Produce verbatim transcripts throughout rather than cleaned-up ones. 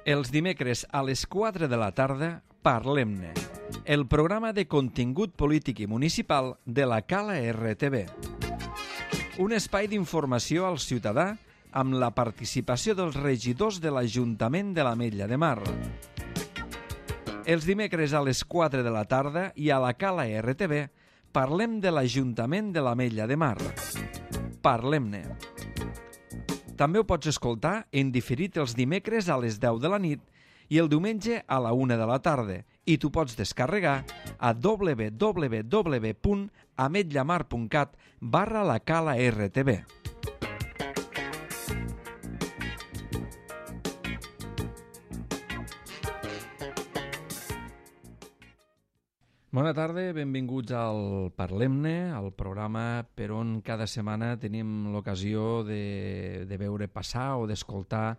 Els dimecres a les quatre de la tarda, Parlem-ne, el programa de contingut polític i municipal de la Cala R T V. Un espai d'informació al ciutadà amb la participació dels regidors de l'Ajuntament de l'Ametlla de Mar. Els dimecres a les quatre de la tarda i a la Cala R T V parlem de l'Ajuntament de l'Ametlla de Mar. Parlem-ne. També ho pots escoltar en diferit els dimecres a les deu de la nit i el diumenge a la una de la tarda, i t'ho pots descarregar a w w w punt ametllamar punt cat barra la Cala R T V. Bona tarda, benvinguts al Parlem-ne, al programa per on cada setmana tenim l'ocasió de, de veure passar o d'escoltar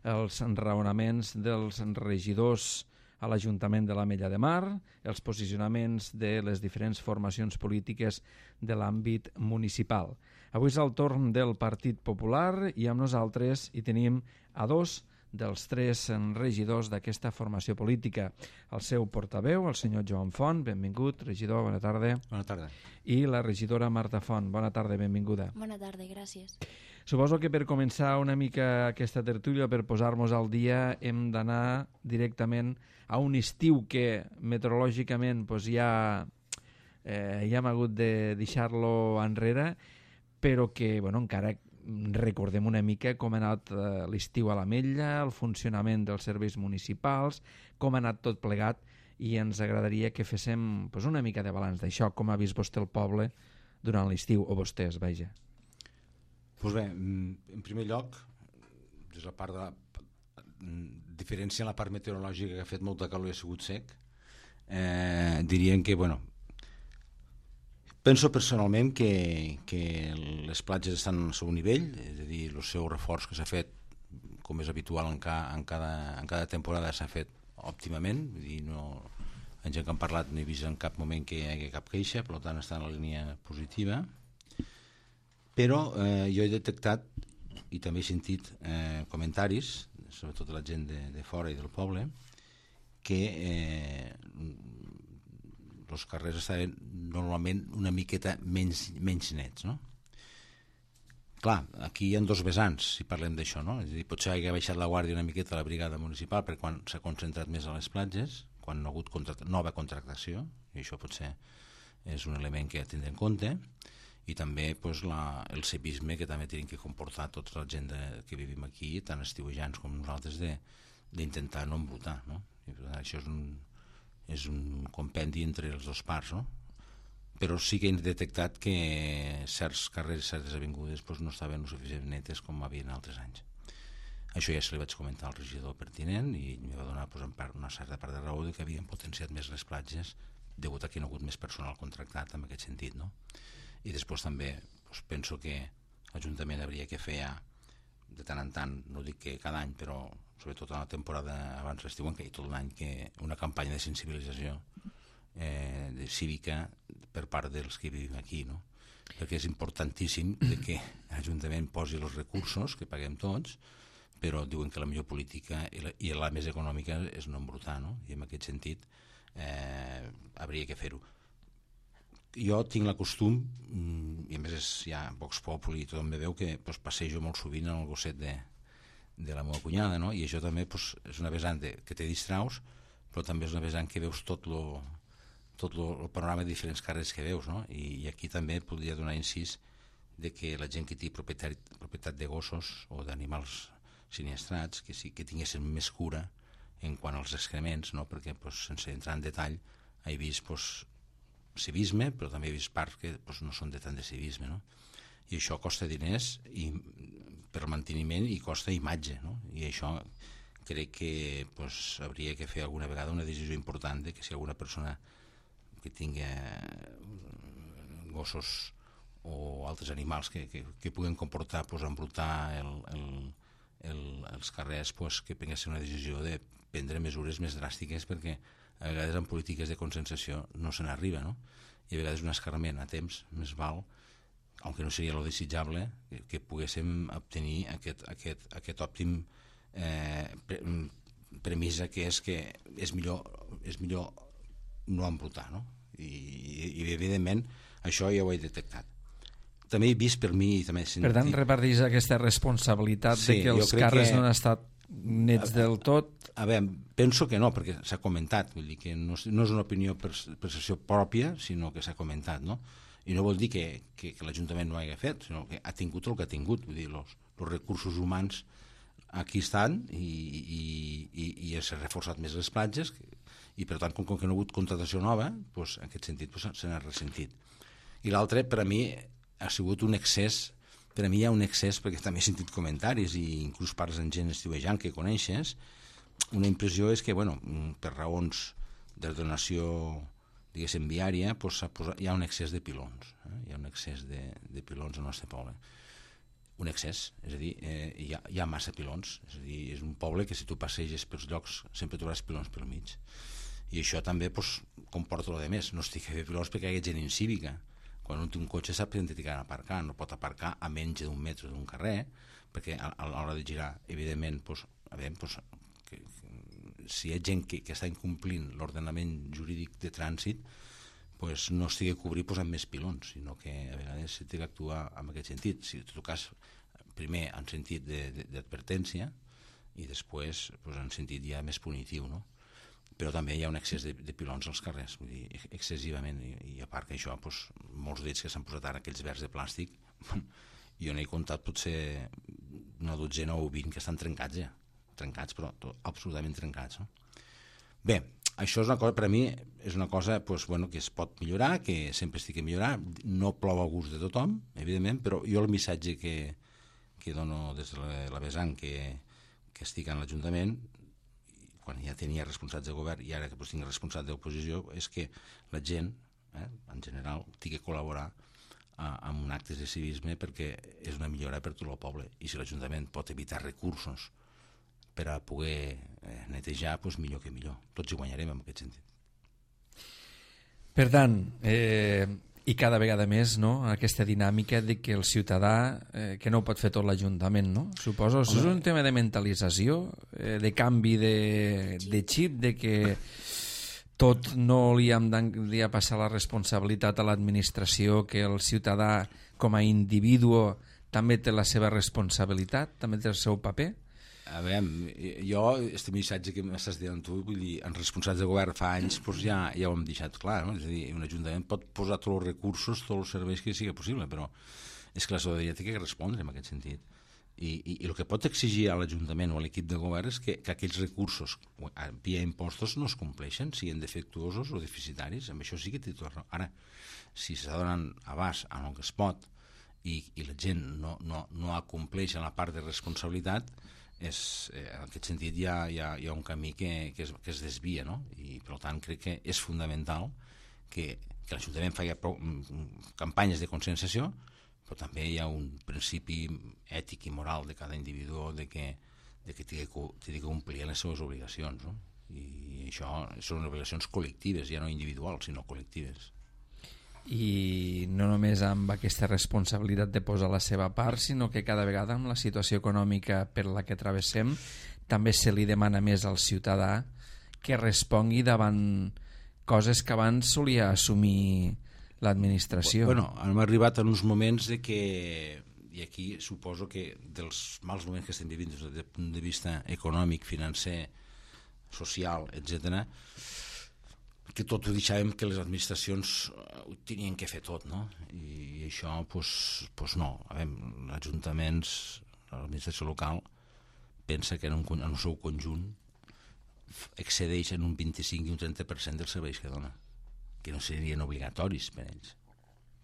els raonaments dels regidors a l'Ajuntament de l'Ametlla de Mar, els posicionaments de les diferents formacions polítiques de l'àmbit municipal. Avui és el torn del Partit Popular i amb nosaltres hi tenim a dos dels tres regidors d'aquesta formació política. El seu portaveu, el senyor Joan Font, benvingut, regidor, bona tarda. Bona tarda. I la regidora Marta Font, bona tarda, benvinguda. Bona tarda, gràcies. Suposo que per començar una mica aquesta tertúlia, per posar-nos al dia, hem d'anar directament a un estiu que meteorològicament doncs, ja, eh, ja hem hagut de deixar-lo enrere, però que bueno, encara recordem una mica com ha anat eh, l'estiu a l'Ametlla, el funcionament dels serveis municipals, com ha anat tot plegat, i ens agradaria que féssim pues, una mica de balanç d'això, com ha vist vostè el poble durant l'estiu, o vostès, vaja. Pues bé, en primer lloc, des de la part de la, diferència en la part meteorològica, que ha fet molta calor i ha sigut sec, eh, dirien que, bueno, penso personalment que, que les platges estan al seu nivell, és a dir, el seu reforç que s'ha fet, com és habitual en, ca, en, cada, en cada temporada, s'ha fet òptimament, vull dir, no, en gent que han parlat no he vist en cap moment que hi hagi cap queixa, per tant està en la línia positiva, però eh, jo he detectat i també he sentit eh, comentaris, sobretot de la gent de, de fora i del poble, que eh, els carrers estaven normalment una miqueta menys, menys nets, no? Clar, aquí hi ha dos vessants, si parlem d'això, no? És a dir, potser hagi baixat la guàrdia una miqueta a la brigada municipal per quan s'ha concentrat més a les platges, quan no ha hagut contract... nova contractació, i això potser és un element que ha de tindre en compte, i també pues, la, el civisme que també tenim que comportar tota la gent de, que vivim aquí, tant estiuejants com nosaltres, d'intentar no embrutar, no? I, això és un és un compendi entre els dos parts, no? Però sí que hem detectat que certs carrers, certes avingudes doncs no estaven o suficient netes com havien altres anys. Això ja se li vaig comentar al regidor pertinent i em va donar doncs, en part, una certa part de raó de que havien potenciat més les platges degut a que hi ha hagut més personal contractat en aquest sentit, no? I després també doncs, penso que l'Ajuntament hauria que fer de tant en tant, no dic que cada any, però sobretot en la temporada abans l'estiu, i tot l'any, que una campanya de sensibilització eh, de cívica per part dels que vivim aquí, no? Perquè és importantíssim de que l'Ajuntament posi els recursos que paguem tots, però diuen que la millor política i la, i la més econòmica és no embrutar, no? I en aquest sentit eh, hauria que fer-ho. Jo tinc la costum, i a més és ja Vox Populi i tothom me veu, que pues, passejo molt sovint en el gosset de, de la meva cunyada, no? I això també pues, és una vessant de, que te distraus, però també és una vessant que veus tot lo, tot lo, el panorama de diferents carrers que veus, no? I, i aquí també podria donar incís de que la gent que té propietat, propietat de gossos o d'animals siniestrats, que sí que tinguessin més cura en quant als excrements, no? Perquè pues, sense entrar en detall he vist pues, civisme, però també he vist parts que pues, no són de tant de civisme, no? I això costa diners i, per manteniment i costa imatge, no? I això crec que pues, hauria que fer alguna vegada una decisió important de que si alguna persona que tingui gossos o altres animals que, que, que puguen comportar pues, embrutar el, el, el, els carrers, pues, que prenguessin una decisió de prendre mesures més dràstiques, perquè a vegades en polítiques de consensació no se n'arriba, no? I a vegades un escarment a temps més val, aunque no seria lo desitjable, que, que poguéssim obtenir aquest, aquest, aquest òptim eh, premissa que és que és millor, és millor no embrutar, no? I, i evidentment això ja ho he detectat. També he vist per mi... També sentit... Per tant, reparteix aquesta responsabilitat sí, de que els carrers que... no han estat nets del tot? A veure, penso que no, perquè s'ha comentat, vull dir que no, no és una opinió per percepció pròpia, sinó que s'ha comentat, no? I no vol dir que, que, que l'Ajuntament no ho hagi fet, sinó que ha tingut el que ha tingut, vull dir, els recursos humans aquí estan i, i, i, i s'ha reforçat més les platges i per tant com, com que no ha hagut contratació nova, doncs, en aquest sentit doncs, se n'ha ressentit. I l'altre, per a mi, ha sigut un excés, per a mi hi ha un excés, perquè també he sentit comentaris i inclús parles amb gent estiuejant que coneixes, una impressió és que, bueno, per raons d'ordenació, diguéssim, viària, doncs, hi ha un excés de pilons, eh? Hi ha un excés de, de pilons al nostre poble. Un excés, és a dir, eh, hi, ha, hi ha massa pilons, és a dir, és un poble que si tu passeges pels llocs sempre trobaràs pilons pel mig. I això també doncs, comporta el de més, no estic a fer pilons perquè hi ha gent incívica. Quan un té un cotxe sap que ha d'aparcar, no pot aparcar a menys d'un metre d'un carrer, perquè a, a l'hora de girar, evidentment, doncs, a veure, doncs, que, que, si hi ha gent que, que està incomplint l'ordenament jurídic de trànsit, pues no estigui a cobrir pues, amb més pilons, sinó que a vegades s'ha d'actuar en aquest sentit. Si tu cas, primer en sentit d'advertència i després pues, en sentit ja més punitiu, no? Però també hi ha un excés de, de pilons als carrers, vull dir, excessivament, i, i a part que això, pues, molts d'ells que s'han posat ara aquells verds de plàstic, jo n'he comptat potser una dotzena o vint que estan trencats ja, trencats, però tot, absolutament trencats, no? Bé, això és una cosa, per a mi, és una cosa pues, bueno, que es pot millorar, que sempre estic a millorar, no plou a gust de tothom, evidentment, però jo el missatge que, que dono des de la, la vessant que, que estic en l'Ajuntament, quan ja tenia responsables de govern i ara que pues, tinc responsables d'oposició, és que la gent, eh, en general, tingui que col·laborar a, amb un acte de civisme perquè és una millora per tot el poble. I si l'Ajuntament pot evitar recursos per a poder eh, netejar, doncs millor que millor. Tots hi guanyarem en aquest sentit. Per tant, eh, i cada vegada més, no?, aquesta dinàmica de que el ciutadà, eh, que no ho pot fer tot l'Ajuntament, no? Suposo, és un tema de mentalització, eh, de canvi de, de xip, de que tot no li hem de passar la responsabilitat a l'administració, que el ciutadà com a individu també té la seva responsabilitat, també té el seu paper? A veure, jo, aquest missatge que m'estàs dient tu, vull dir, en responsables de govern fa anys, doncs ja, ja ho hem deixat clar, no? És a dir, un ajuntament pot posar tots els recursos, tots els serveis que sigui possible, però és que la ciutadania té que respondre en aquest sentit. I, i, i el que pot exigir a l'Ajuntament o a l'equip de govern és que, que aquells recursos via impostos no es compleixen, siguin defectuosos o deficitaris, amb això sí que té tot raó. Ara, si s'està donant abast en el que es pot i, i la gent no, no, no acompleix en la part de responsabilitat, és, eh, en aquest sentit hi ha, hi ha, hi ha un camí que, que, es, que es desvia, no? I per tant crec que és fundamental que, que l'Ajuntament faci campanyes de conscienciació, però també hi ha un principi ètic i moral de cada individu de que, de que té que complir les seves obligacions, no? I això són obligacions col·lectives, ja no individuals, sinó col·lectives. I no només amb aquesta responsabilitat de posar la seva part, sinó que cada vegada amb la situació econòmica per la que travessem també se li demana més al ciutadà que respongui davant coses que abans solia assumir l'administració. Bueno, hem arribat en uns moments de que, i aquí suposo que dels mals moments que estem vivint des del punt de vista econòmic, financer, social, etcètera, que tot ho deixàvem que les administracions ho tenien que fer tot, no? I això, doncs, doncs no. Els ajuntaments, l'administració local, pensa que en, un, en el seu conjunt excedeix en un vint-i-cinc i un trenta per cent dels serveis que dona, que no serien obligatoris per ells,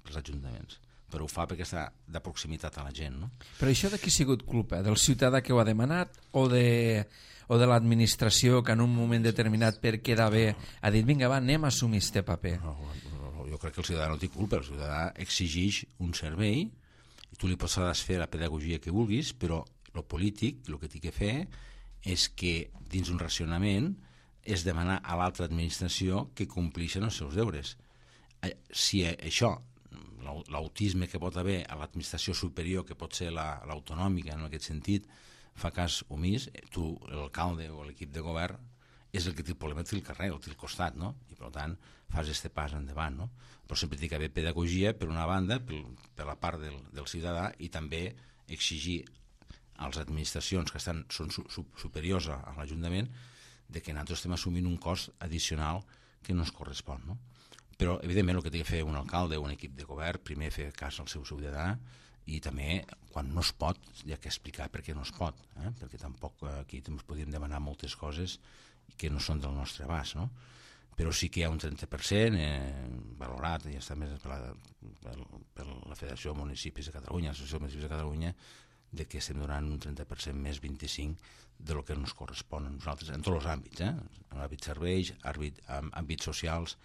pels ajuntaments. Però ho fa perquè està de proximitat a la gent, no? Però això de qui ha sigut culpa? Del ciutadà que ho ha demanat o de... o de l'administració que en un moment determinat per quedar bé ha dit vinga va, anem a assumir este paper? No, no, no, jo crec que el ciutadà no té culpa, el ciutadà exigeix un servei i tu li pots fer la pedagogia que vulguis, però el polític el que té que fer és que dins un racionament és demanar a l'altra administració que compleixen els seus deures. Si això, l'autisme que pot haver a l'administració superior, que pot ser l'autonòmica en aquest sentit, fa cas omís, tu, l'alcalde o l'equip de govern, és el que té el problema, té el carrer, el té al costat, no? I per tant fas este pas endavant, no? Però sempre té que haver pedagogia per una banda, per, per la part del, del ciutadà, i també exigir a les administracions que estan, són su, su, superiors a, a l'Ajuntament de que nosaltres estem assumint un cost addicional que no ens correspon, no? Però evidentment el que té que fer un alcalde o un equip de govern, primer fer cas al seu ciutadà, i també quan no es pot hi ha que explicar per què no es pot, eh? Perquè tampoc aquí ens podríem demanar moltes coses que no són del nostre abast, no? Però sí que hi ha un trenta per cent eh, valorat, ja està més per la, per, per la Federació de Municipis de Catalunya, l'Associació de Municipis de Catalunya, de que estem donant un trenta per cent més vint-i-cinc de lo que ens correspon a nosaltres, en tots els àmbits, eh? En l'àmbit serveis, àmbit, àmbits socials,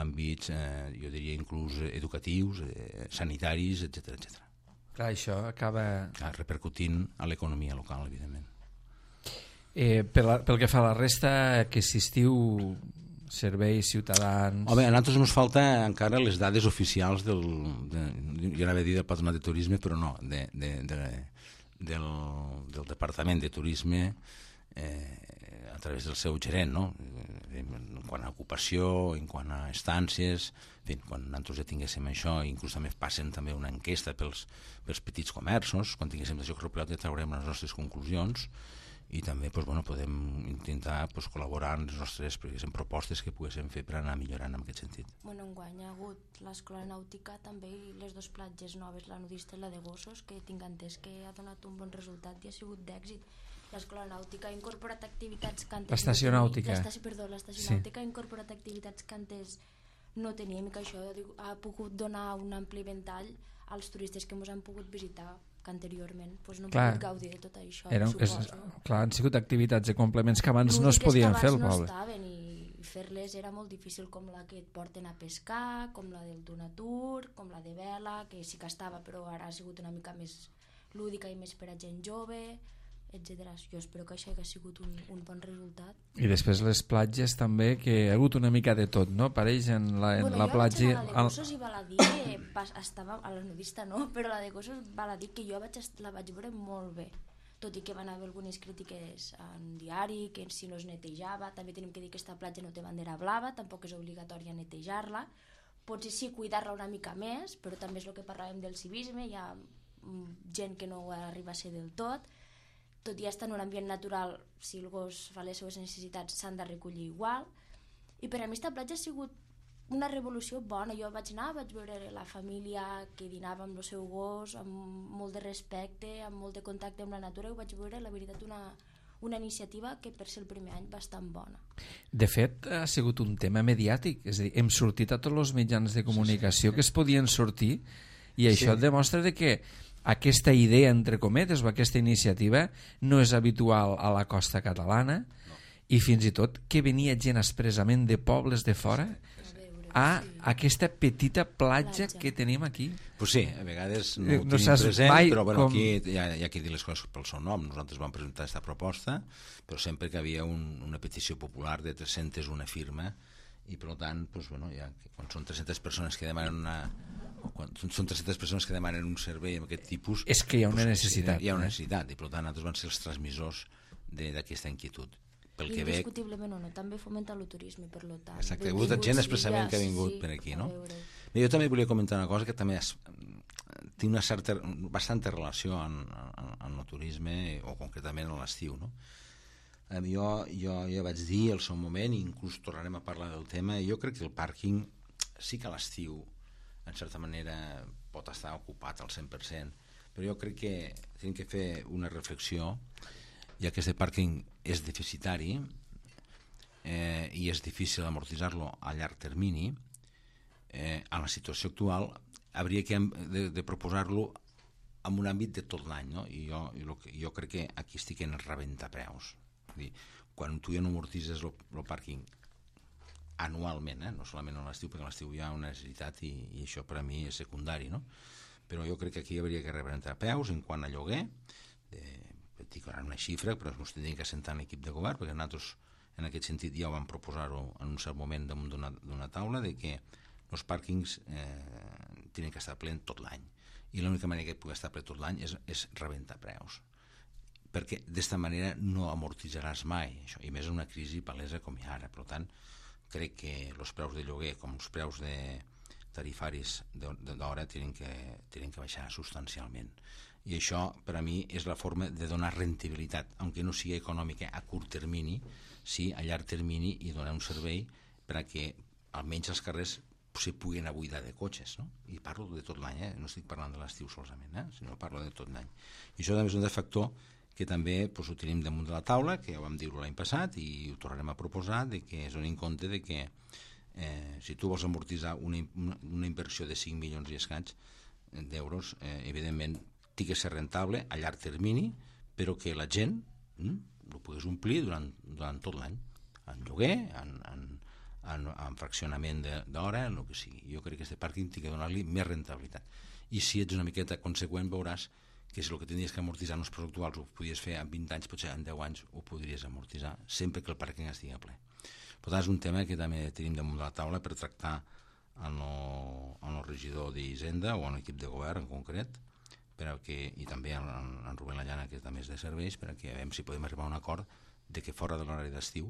àmbits, eh, jo diria, inclús educatius, eh, sanitaris, etcètera, etcètera. Clar, això acaba... Clar, repercutint a l'economia local, evidentment. Eh, per la, pel que fa a la resta, que assistiu serveis, ciutadans... Home, a nosaltres ens falta encara les dades oficials del... De, jo anava a dir del Patronat de Turisme, però no, de, de, de, del, del Departament de Turisme eh, a través del seu gerent, no? En quant a ocupació, en quant a estàncies, en fi, quan nosaltres ja tinguéssim això, inclús també passen també una enquesta pels, pels petits comerços, quan tinguéssim això recopilat ja traurem les nostres conclusions, i també pues, bueno, podem intentar pues, col·laborar en les nostres propostes que poguéssim fer per anar millorant en aquest sentit. Bueno, enguany ha hagut l'escola nàutica també i les dues platges noves, la nudista i la de gossos, que tinc entès que ha donat un bon resultat i ha sigut d'èxit. L'escola nàutica ha incorporat activitats que antes... L'estació nàutica. L'estació, perdó, l'estació sí. nàutica ha incorporat activitats que antes no teníem i que això ha pogut donar un ampli ventall als turistes que ens han pogut visitar, que anteriorment pues, no hem clar, pogut gaudir de tot això. Era, és, clar, han sigut activitats de complements que abans no es podien fer al poble. No estaven i fer-les era molt difícil, com la que et porten a pescar, com la del Donatur, com la de vela, que sí que estava, però ara ha sigut una mica més lúdica i més per a gent jove, etcètera. Jo espero que això hagi sigut un, un bon resultat. I després les platges també, que ha hagut una mica de tot, no? Pareix en la, en bueno, la platja... Bueno, jo la de gossos i val a dir que pas, estava a la nudista, no? Però la de gossos val a dir que jo vaig, la vaig veure molt bé, tot i que van haver algunes crítiques en diari, que si no es netejava. També tenim que dir que aquesta platja no té bandera blava, tampoc és obligatòria netejar-la. Potser sí cuidar-la una mica més, però també és el que parlàvem del civisme, hi ha gent que no arriba a ser del tot. Tot i estar en un ambient natural, si el gos fa les seves necessitats s'han de recollir igual. I per a mi aquesta platja ha sigut una revolució bona. Jo vaig anar, vaig veure la família que dinava amb el seu gos, amb molt de respecte, amb molt de contacte amb la natura, i ho vaig veure, la veritat, una, una iniciativa que per ser el primer any bastant bona. De fet, ha sigut un tema mediàtic, és a dir, hem sortit a tots els mitjans de comunicació sí, sí. que es podien sortir, i això sí. demostra de que aquesta idea, entre cometes, o aquesta iniciativa no és habitual a la costa catalana, no. I fins i tot que venia gent expressament de pobles de fora a aquesta petita platja, platja. que tenim aquí. Pues sí, a vegades no ho no tenim present, però bueno, com... aquí hi ha, hi ha que dir les coses pel seu nom. Nosaltres vam presentar aquesta proposta, però sempre que havia un, una petició popular de tres-centes una firma, i per tant, pues, bueno, ja, quan són tres-centes persones que demanen una... quan són tres-centes persones que demanen un servei amb aquest tipus, és que hi ha una necessitat, hi ha una necessitat, i per tant nosaltres van ser els transmissors d'aquesta inquietud. Pel que indiscutiblement o no, també fomenta el turisme, per lo tant. Exacte, hi ha hagut gent expressament que ha vingut per aquí, no? Jo també volia comentar una cosa que també és, té una certa, bastanta relació amb, amb el turisme, o concretament a l'estiu, no? Jo, jo ja vaig dir al seu moment, i inclús tornarem a parlar del tema, jo crec que el pàrquing sí que a l'estiu en certa manera pot estar ocupat al cent per cent, però jo crec que hem que fer una reflexió, ja que aquest pàrquing és deficitari eh, i és difícil amortitzar-lo a llarg termini, eh, en la situació actual hauria que de, de proposar-lo en un àmbit de tot l'any, no? I jo, jo, jo crec que aquí estic en rebentapreus. Dir, quan tu ja no amortitzes el pàrquing anualment, eh? No solament a l'estiu, perquè a l'estiu hi ha una necessitat i, i això per a mi és secundari, no? Però jo crec que aquí hauria que rebentar peus en quant a lloguer, de, dic ara una xifra, però ens tindríem que assentar en l'equip de govern, perquè nosaltres en aquest sentit ja ho vam proposar-ho en un cert moment damunt d'una taula, de que els pàrquings eh, tenen que estar plens tot l'any, i l'única manera que pugui estar ple tot l'any és, és rebentar preus. perquè d'esta manera no amortitzaràs mai això, i més en una crisi palesa com hi ha ara. Per tant, crec que els preus de lloguer com els preus de tarifaris d'hora tenen que, tenen que baixar substancialment, i això per a mi és la forma de donar rendibilitat, aunque no sigui econòmica a curt termini, sí a llarg termini, i donar un servei per a que almenys els carrers se puguen buidar de cotxes, no? I parlo de tot l'any, eh? No estic parlant de l'estiu solament, eh? Sinó parlo de tot l'any. I això també és un factor que també pues, ho tenim damunt de la taula, que ja ho vam dir l'any passat i ho tornarem a proposar, de que es doni en compte de que eh, si tu vols amortitzar una, una inversió de cinc milions i escaig d'euros, eh, evidentment té que ser rentable a llarg termini, però que la gent hm, ho pogués omplir durant, durant tot l'any, en lloguer, en, en, en, en fraccionament d'hora, en el que sigui. Jo crec que aquest pàrquing té que donar-li més rentabilitat. I si ets una miqueta conseqüent veuràs que si el que tenies que amortitzar en els preus actuals ho podies fer en vint anys, potser en deu anys ho podries amortitzar, sempre que el pàrquing estigui ple. Per tant, és un tema que també tenim damunt de la taula per tractar en el, en el regidor d'Hisenda o en l'equip de govern en concret, per a que, i també en, en Rubén Lallana, que també és de serveis, per a que veiem si podem arribar a un acord de que fora de l'horari d'estiu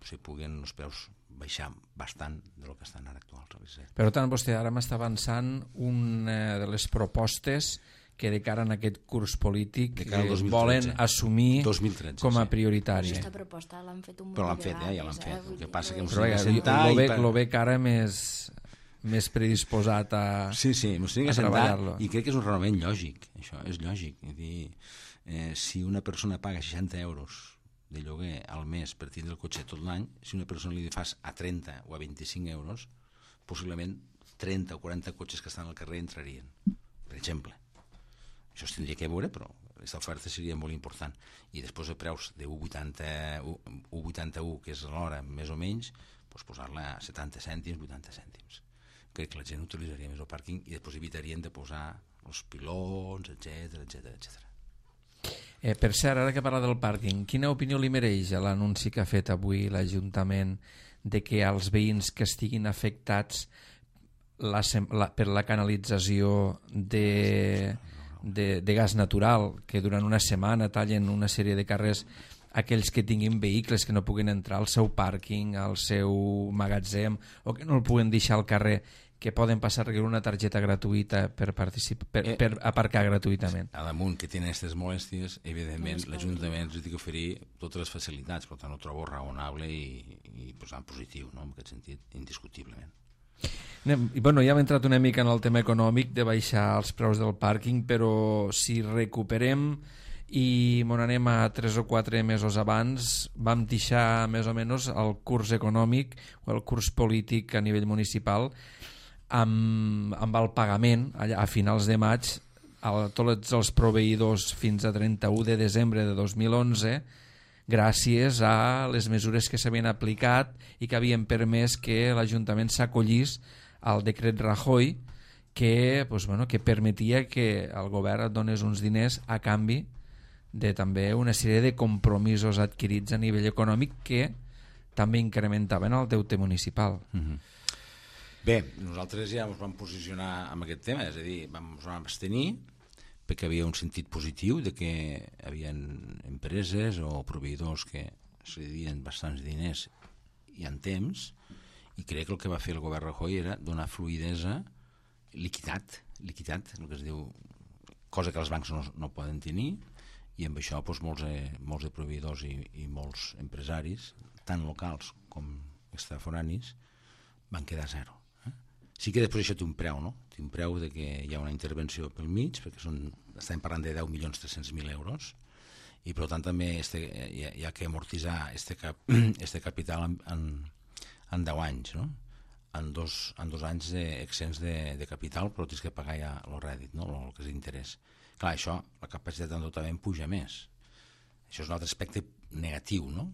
se puguen els preus baixar bastant del que estan ara actuals. Per tant, vostè ara m'està avançant una de les propostes que de cara en aquest curs polític volen assumir dos mil tretze, com a prioritari. Aquesta proposta l'han fet un Però l'han fet, eh? Ja l'han fet. El que passa que lo veig ara més més predisposat a sí, sí, m'ho estic a treballar-lo. I crec que és un raonament lògic, això és lògic. És dir, eh, si una persona paga seixanta euros de lloguer al mes per tindre el cotxe tot l'any, si una persona li fas a trenta o a vint-i-cinc euros, possiblement trenta o quaranta cotxes que estan al carrer entrarien, per exemple. Això es tindria que veure, però aquesta oferta seria molt important. I després de preus de u coma vuitanta u, que és l'hora més o menys, doncs posar-la a setanta cèntims, vuitanta cèntims. Crec que la gent utilitzaria més el pàrquing i després evitarien de posar els pilons, etcètera, etcètera, etcètera. Eh, per cert, ara que parla del pàrquing, quina opinió li mereix l'anunci que ha fet avui l'Ajuntament de que als veïns que estiguin afectats la, la, per la canalització de, de, de gas natural, que durant una setmana tallen una sèrie de carrers, aquells que tinguin vehicles que no puguin entrar al seu pàrquing, al seu magatzem, o que no el puguen deixar al carrer, que poden passar a una targeta gratuïta per, per, per aparcar gratuïtament. A damunt que tenen aquestes molèsties, evidentment l'Ajuntament els ha d'oferir totes les facilitats, per tant ho trobo raonable i, i posant positiu, no? En aquest sentit, indiscutiblement. I, bueno, ja hem entrat una mica en el tema econòmic de baixar els preus del pàrquing, però si recuperem i mon anem a tres o quatre mesos abans, vam deixar més o menys el curs econòmic o el curs polític a nivell municipal amb, amb el pagament allà, a finals de maig a tots els proveïdors fins a trenta-u de desembre de dos mil onze, gràcies a les mesures que s'havien aplicat i que havien permès que l'Ajuntament s'acollís al decret Rajoy, que, doncs, bueno, que permetia que el govern et donés uns diners a canvi de també una sèrie de compromisos adquirits a nivell econòmic que també incrementaven el deute municipal. Mm-hmm. Bé, nosaltres ja ens vam posicionar amb aquest tema, és a dir, vam, ens vam abstenir perquè havia un sentit positiu de que hi havia empreses o proveïdors que se devien bastants diners i en temps, i crec que el que va fer el govern Rajoy era donar fluïdesa, liquidat, liquidat, el que es diu, cosa que els bancs no, no poden tenir, i amb això doncs, molts, eh, molts de proveïdors i, i molts empresaris, tant locals com extraforanis, van quedar a zero. Eh? Sí que després això té un preu, no? Té un preu de que hi ha una intervenció pel mig, perquè són, estem parlant de deu milions tres-cents mil euros, i per tant també este, hi, ha, hi ha que amortitzar este, cap, este capital en, en, en deu anys, no? En dos, en dos anys exents de, de capital, però tens que pagar ja el rèdit, no? El que és interès. Clar, això, la capacitat d'endeutament puja més. Això és un altre aspecte negatiu, no?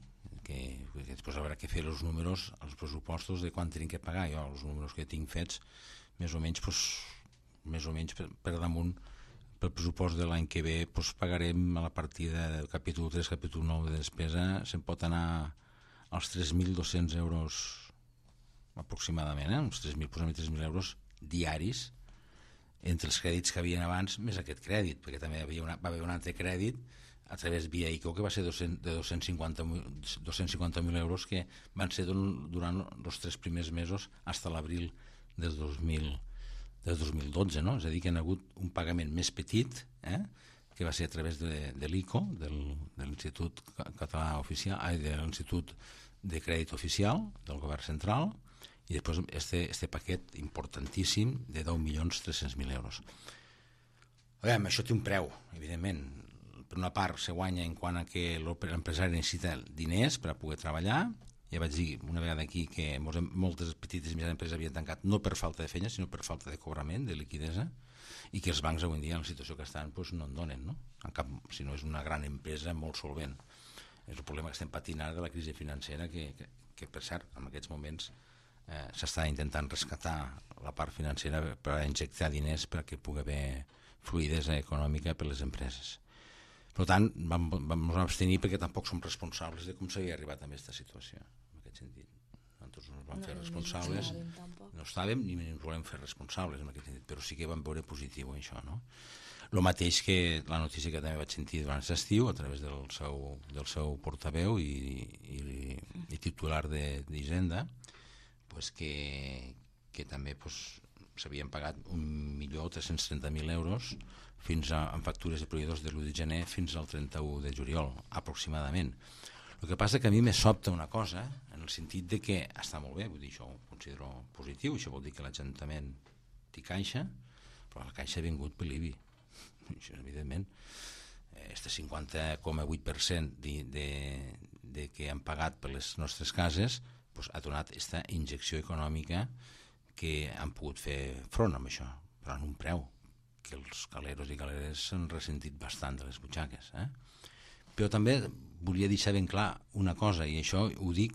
Que, que després haurà que fer els números, els pressupostos de quan tenim que pagar. Jo, els números que tinc fets, més o menys, pues, més o menys per, per damunt, pel pressupost de l'any que ve, pues, pagarem a la partida del capítol tres, capítol nou de despesa, se'n pot anar als tres mil dos-cents euros aproximadament, eh? Uns tres mil, posem tres mil euros diaris, entre els crèdits que havien abans més aquest crèdit, perquè també havia una, va haver un altre crèdit a través via I C O, que va ser de dos-cents cinquanta mil euros, que van ser durant els tres primers mesos fins a l'abril del dos mil dotze, no? És a dir, que hi ha hagut un pagament més petit, eh? que va ser a través de, de l'I C O, del, de l'Institut Català Oficial, ai, de l'Institut de Crèdit Oficial del Govern Central, i després este, este paquet importantíssim de deu milions tres-cents mil euros. Aviam, això té un preu, evidentment. Per una part se guanya en quant a que l'empresari necessita diners per a poder treballar. Ja vaig dir una vegada aquí que moltes petites i mitjanes empreses havien tancat no per falta de feina, sinó per falta de cobrament, de liquidesa, i que els bancs avui en dia en la situació que estan doncs, no en donen, no? En cap, si no és una gran empresa molt solvent. És el problema que estem patint ara de la crisi financera, que, que, que per cert, en aquests moments eh, s'està intentant rescatar la part financera per injectar diners perquè pugui haver fluidesa econòmica per les empreses. Per tant, vam, vam abstenir perquè tampoc som responsables de com s'havia arribat a aquesta situació, en aquest sentit. Nosaltres no ens vam no, fer responsables, no, no estàvem ni ens volem fer responsables en aquest sentit, però sí que vam veure positiu això, no? El mateix que la notícia que també vaig sentir durant l'estiu a través del seu, del seu portaveu i, i, i titular d'Hisenda, pues que, que també pues, s'havien pagat un milió tres-cents trenta mil euros fins a, en factures de proveïdors de l'u de gener fins al trenta-u de juliol, aproximadament. El que passa que a mi me sobta una cosa, en el sentit de que està molt bé, vull dir, això ho considero positiu, això vol dir que l'Ajuntament té caixa, però la caixa ha vingut per l'I B I. Això, evidentment, este cinquanta coma vuit per cent de, de, de que han pagat per les nostres cases pues, ha donat aquesta injecció econòmica que han pogut fer front amb això, però en un preu que els galeros i galeres s'han ressentit bastant de les butxaques. Eh? Però també volia deixar ben clar una cosa, i això ho dic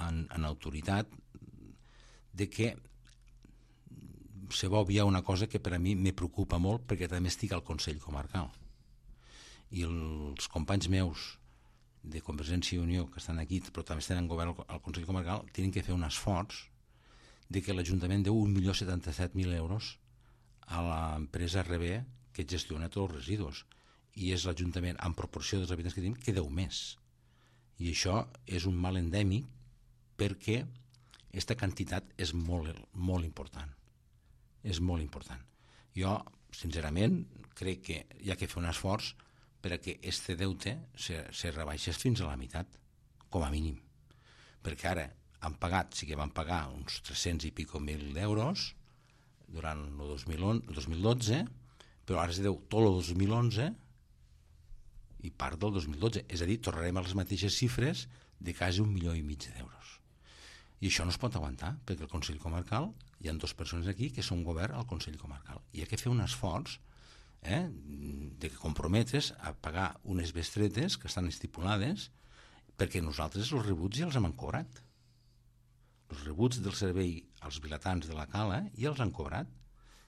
en, en autoritat, de que se va obviar una cosa que per a mi me preocupa molt perquè també estic al Consell Comarcal. I els companys meus de Convergència i Unió que estan aquí, però també estan en govern al Consell Comarcal, tenen que fer un esforç de que l'Ajuntament deu un milió setanta-set mil euros a l'empresa R B que gestiona tots els residus, i és l'Ajuntament en proporció dels habitants que tenim que deu més, i això és un mal endèmic perquè aquesta quantitat és molt, molt important, és molt important. Jo sincerament crec que hi ha que fer un esforç perquè este deute se, se rebaixés fins a la meitat, com a mínim, perquè ara han pagat, sí que van pagar uns tres-cents i pico mil d'euros durant el dos mil dotze, però ara es deu tot el dos mil onze i part del dos mil dotze, és a dir, tornarem a les mateixes xifres de quasi un milió i mig d'euros. I això no es pot aguantar, perquè el Consell Comarcal, hi ha dues persones aquí que són govern al Consell Comarcal, i hi ha que fer un esforç eh, de comprometre's a pagar unes bestretes que estan estipulades, perquè nosaltres els rebuts ja els hem cobrat. Els rebuts del servei als vilatans de la Cala ja els han cobrat,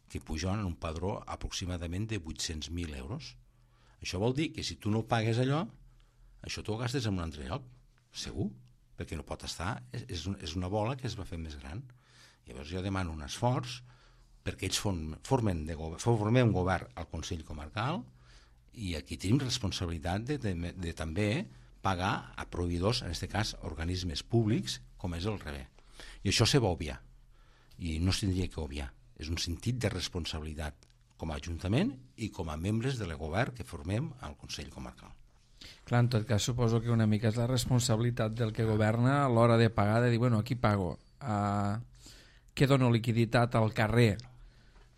que pugen en un padró aproximadament de vuit-cents mil euros. Això vol dir que si tu no pagues allò, això t'ho gastes en un altre lloc, segur, perquè no pot estar, és, és una bola que es va fer més gran. Llavors jo demano un esforç perquè ells formen, de govern, formem un govern al Consell Comarcal, i aquí tenim responsabilitat de, de, de, de també pagar a proveïdors, en aquest cas organismes públics, com és el R B. I això se va obviar, i no es tindria que obviar. És un sentit de responsabilitat com a Ajuntament i com a membres del govern que formem al Consell Comarcal. Clar, en tot cas, suposo que una mica és la responsabilitat del que governa a l'hora de pagar, de dir, bueno, aquí pago, uh, que dono liquiditat al carrer,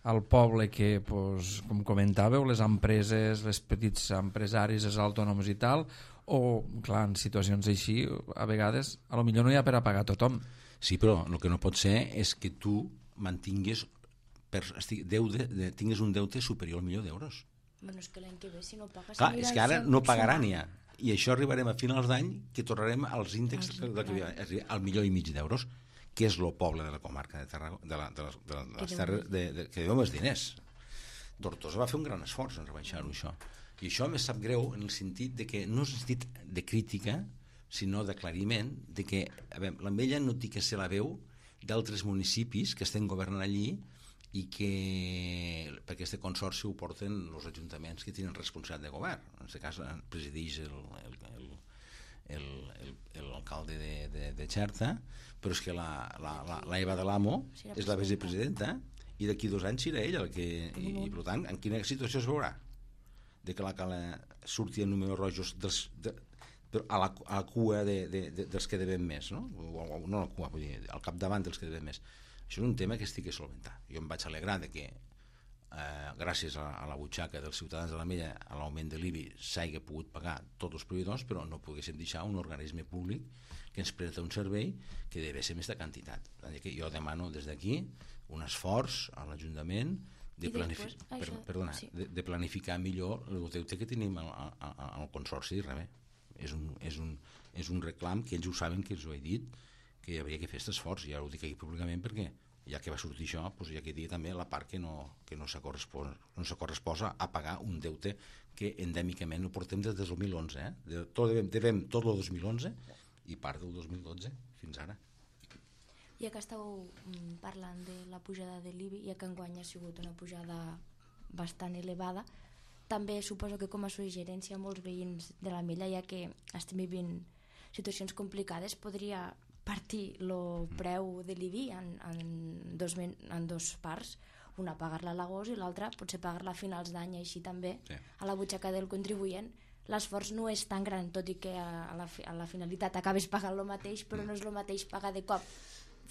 al poble que, pues, com comentàveu, les empreses, les petits empresaris, els autònoms i tal, o, clar, en situacions així, a vegades, a lo millor no hi ha per a pagar tothom. Sí, però el que no pot ser és que tu mantingues, per, deude, de, tingues un deute superior al milió d'euros. Bueno, és que l'any que ve, si no pagues... Clar, és que ara no pagaran ja, i això arribarem a finals d'any que tornarem als índexs al milió i mig d'euros, que és el poble de la comarca de Tarragona, de, la, de, les, de, de les terres, de, de, que deu més diners. Tortosa va fer un gran esforç en rebaixar-ho, això. I això me sap greu en el sentit de que no és un sentit de crítica, sinó d'aclariment, de que a veure, l'Ametlla no té que ser la veu d'altres municipis que estem governant allí i que per aquest consorci ho porten els ajuntaments que tenen responsabilitat de govern. En aquest cas presideix el, el, el, el, el, l'alcalde de, de, de Xerta, però és que la, la, la, la Eva de l'Amo és la vicepresidenta i d'aquí dos anys serà ella el que, i, i per tant en quina situació es veurà de que la cala surti en números rojos dels, de, de, a, la, a la cua de, de, de, dels que devem més, no? O, o, no a la cua, vull dir, al capdavant dels que devem més. Això és un tema que estic a solventar. Jo em vaig alegrar de que eh, gràcies a, a la butxaca dels ciutadans de l'Ametlla, a l'augment de l'I B I s'hagi pogut pagar tots els proveïdors, però no poguéssim deixar un organisme públic que ens presta un servei que deve ser aquesta quantitat. Que jo demano des d'aquí un esforç a l'Ajuntament de, planifi per, perdona, sí. de, de planificar millor el deute que tenim al, al, al Consorci de Rebé. És un, és, un, és un reclam que ells ho saben, que els ho he dit, que hi hauria que fer aquest esforç, i ara ho dic aquí públicament perquè ja que va sortir això, doncs hi ha que dir també la part que no, que no se correspon, no se corresposa a pagar un deute que endèmicament ho portem des del dos mil onze, eh? de, tot, devem, devem tot el dos mil onze i part del dos mil dotze fins ara. Ja que estàu parlant de la pujada de l'I B I, ja que enguany ha sigut una pujada bastant elevada, també suposo que com a suggerència a molts veïns de l'Ametlla, ja que estem vivint situacions complicades, podria partir el preu de l'I B I en, en, dos, en dos parts, una pagar-la a l'agost i l'altra potser pagar-la a finals d'any, així també sí. A la butxaca del contribuent l'esforç no és tan gran, tot i que a la, a la finalitat acabes pagant el mateix, però no és el mateix pagar de cop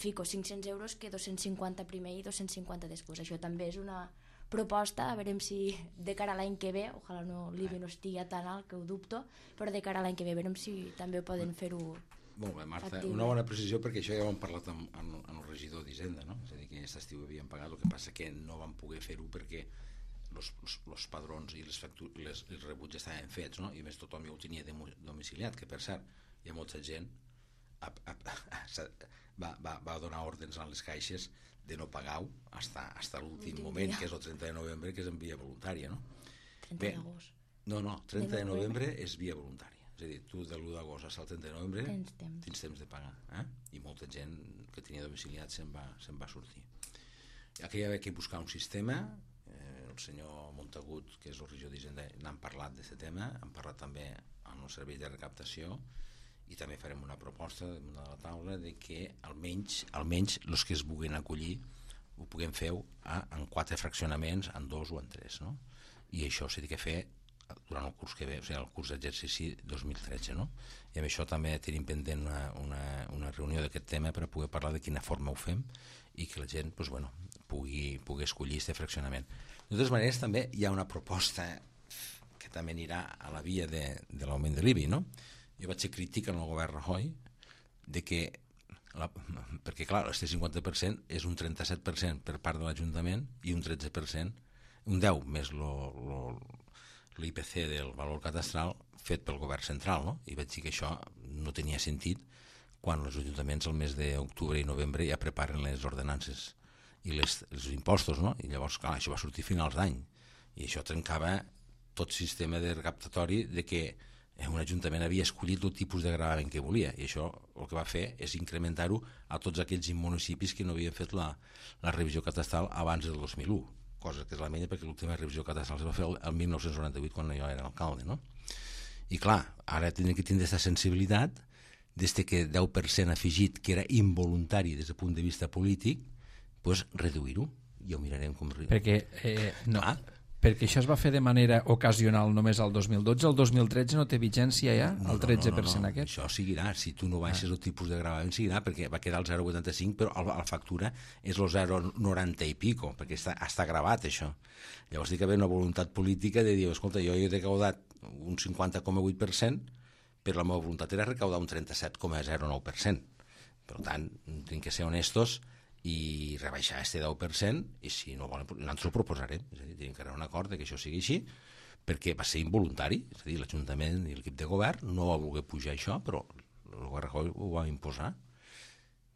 fico cinc-cents euros que dos-cents cinquanta primer i dos-cents cinquanta després. Això també és una proposta, a veure si de cara a l'any que ve, ojalà no, l'I B I no estigui tan alt, que ho dubto, però de cara a l'any que ve, a veure si també poden fer-ho. Molt bé, Marta, factible. Una bona precisió, perquè això ja ho hem parlat amb, amb, amb el regidor d'Hisenda, no? És a dir, que aquest estiu havien pagat, el que passa que no van poder fer-ho perquè els padrons i les, les, els rebuts estaven fets, no? I a més tothom ja ho tenia domiciliat, que per cert, hi ha molta gent a, a, a, va, va, va donar ordres a les caixes de no pagar-ho fins a l'últim moment, que és el trenta de novembre, que és en via voluntària, no? trenta d'agost. No, no, trenta de novembre és via voluntària. És a dir, tu de l'u d'agost fins al trenta de novembre tens temps, tens temps de pagar, eh? I molta gent que tenia domiciliat se'n va, se'n va sortir. Aquí hi ha que buscar un sistema, eh, el senyor Montagut, que és el regidor d'Hisenda, n'han parlat d'aquest tema, han parlat també amb el servei de recaptació, i també farem una proposta damunt de la taula de que almenys, almenys els que es vulguin acollir ho puguem fer a, en quatre fraccionaments, en dos o en tres, no? I això s'ha de fer durant el curs que ve, o sigui, el curs d'exercici dos mil tretze, no? I amb això també tenim pendent una, una, una reunió d'aquest tema per a poder parlar de quina forma ho fem i que la gent pues, bueno, pugui, pugui escollir aquest fraccionament. De totes maneres, també hi ha una proposta que també anirà a la via de, de l'augment de l'I B I, no? Jo vaig ser crític en el govern Rajoy de que, la, perquè clar, este cinquanta per cent és un trenta-set per cent per part de l'Ajuntament i un tretze per cent, un deu més lo, lo, l'I P C del valor catastral fet pel govern central, no? I vaig dir que això no tenia sentit quan els ajuntaments al mes d'octubre i novembre ja preparen les ordenances i les, els impostos, no? I llavors, clar, això va sortir a finals d'any i això trencava tot sistema de recaptatori de que un ajuntament havia escollit el tipus de gravament que volia i això el que va fer és incrementar-ho a tots aquells municipis que no havien fet la, la revisió catastral abans del dos mil u, cosa que és la menya perquè l'última revisió catastral es va fer el, el mil nou-cents noranta-vuit quan jo era alcalde, no? I clar, ara tindrem que tindre aquesta sensibilitat des que deu per cent afegit que era involuntari des del punt de vista polític, doncs reduir-ho, ja ho mirarem com... Perquè, eh, no, ah? perquè això es va fer de manera ocasional només al dos mil dotze, el dos mil tretze no té vigència ja, el tretze per cent no, no, no, no. aquest? Això seguirà, si tu no baixes ah. el tipus de gravament seguirà, perquè va quedar el zero coma vuitanta-cinc, però a la factura és el zero coma noranta i pico, perquè està, està gravat això. Llavors dic que hi ha una voluntat política de dir, escolta, jo he recaudat un cinquanta coma vuit per cent, però la meva voluntat era recaudar un trenta-set coma zero nou per cent. Per tant, tinc que ser honestos i rebaixar este deu per cent, i si no volen, nosaltres ho proposarem, és a dir, tenim que arribar a un acord que això sigui així, perquè va ser involuntari, és a dir, l'Ajuntament i l'equip de govern no va voler pujar això, però el govern Rajoy ho va imposar.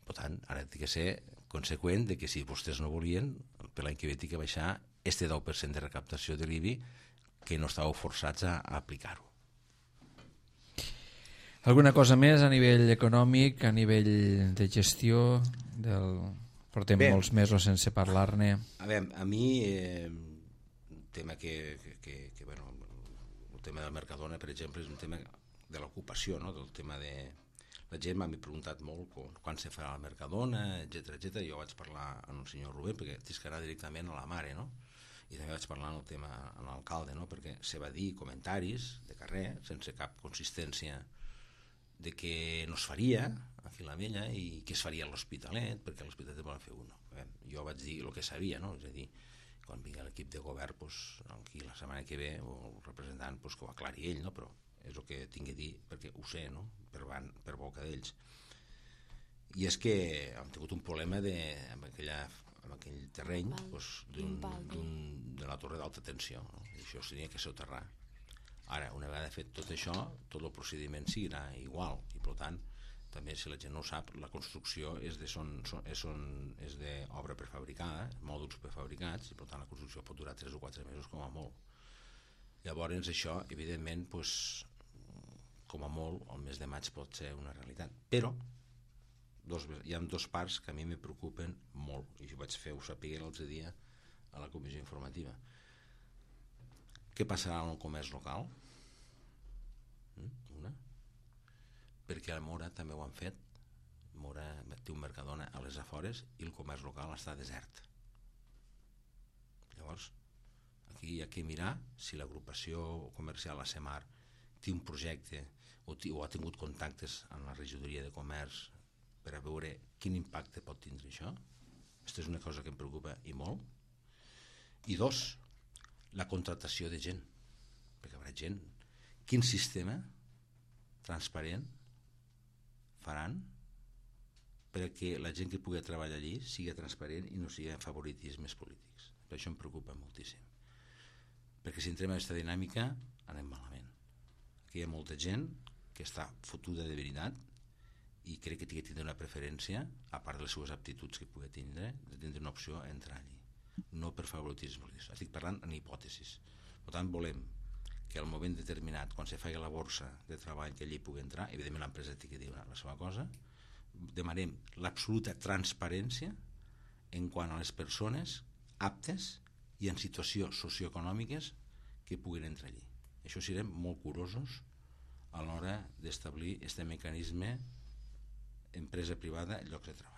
Per tant, ara té que ser conseqüent de que si vostès no volien, per l'any que ve té que baixar este deu per cent de recaptació de l'I B I, que no estàveu forçats a, a aplicar-ho. Alguna cosa més a nivell econòmic, a nivell de gestió del Portem Bé, molts mesos sense parlar-ne. A veure, a mi eh, un tema que, que, que, que bueno, el tema del Mercadona, per exemple, és un tema de l'ocupació, no? Del tema de... La gent m'ha preguntat molt quan, quan se farà el Mercadona, etcètera, etcètera. Jo vaig parlar amb el senyor Rubén, perquè tens que anar directament a la mare, no? I també vaig parlar en el tema amb l'alcalde, no? Perquè se va dir comentaris de carrer, sense cap consistència, de que no es faria a Filamella i que es faria a l'Hospitalet, perquè a l'Hospitalet volen fer uno. Jo vaig dir el que sabia, no? És a dir, quan vingui l'equip de govern, pues, aquí la setmana que ve, el representant pues, que ho aclari ell, no? Però és el que tinc a dir, perquè ho sé, no? Per, van, per boca d'ells. I és que hem tingut un problema de, amb, aquella, amb aquell terreny pues, d'un, d'un, de la torre d'alta tensió, no? I això s'hauria que soterrar. Ara, una vegada fet tot això, tot el procediment seguirà igual i per tant, també si la gent no ho sap, la construcció és de son, son, és, son, és d'obra prefabricada, mòduls prefabricats, i per tant la construcció pot durar tres o quatre mesos com a molt. Llavors això, evidentment, pues, com a molt, el mes de maig pot ser una realitat. Però dos, hi ha dues parts que a mi me preocupen molt, i ho vaig fer, ho sapigué l'altre dia a la comissió informativa. Què passarà amb el comerç local? Una. Perquè a Mora també ho han fet. Mora té un Mercadona a les afores i el comerç local està desert. Llavors, aquí hi ha que mirar si l'agrupació comercial a Semar té un projecte o, o ha tingut contactes amb la regidoria de comerç per a veure quin impacte pot tindre això. Aquesta és una cosa que em preocupa i molt. I dos, la contractació de gent, perquè hi haurà gent. Quin sistema transparent faran perquè la gent que pugui treballar allí sigui transparent i no sigui favoritismes polítics? Per això em preocupa moltíssim. Perquè si entrem en aquesta dinàmica anem malament. Aquí hi ha molta gent que està fotuda de veritat i crec que té que tindre una preferència, a part de les seves aptituds que pugui tindre, de tindre una opció a entrar allí. No per favoritisme, estic parlant en hipòtesis. Per tant, volem que al moment determinat, quan se faci la borsa de treball que allí pugui entrar, evidentment l'empresa té que dir la seva cosa, demanem l'absoluta transparència en quant a les persones aptes i en situacions socioeconòmiques que puguin entrar allí. Això serem molt curosos a l'hora d'establir aquest mecanisme empresa privada i llocs de treball.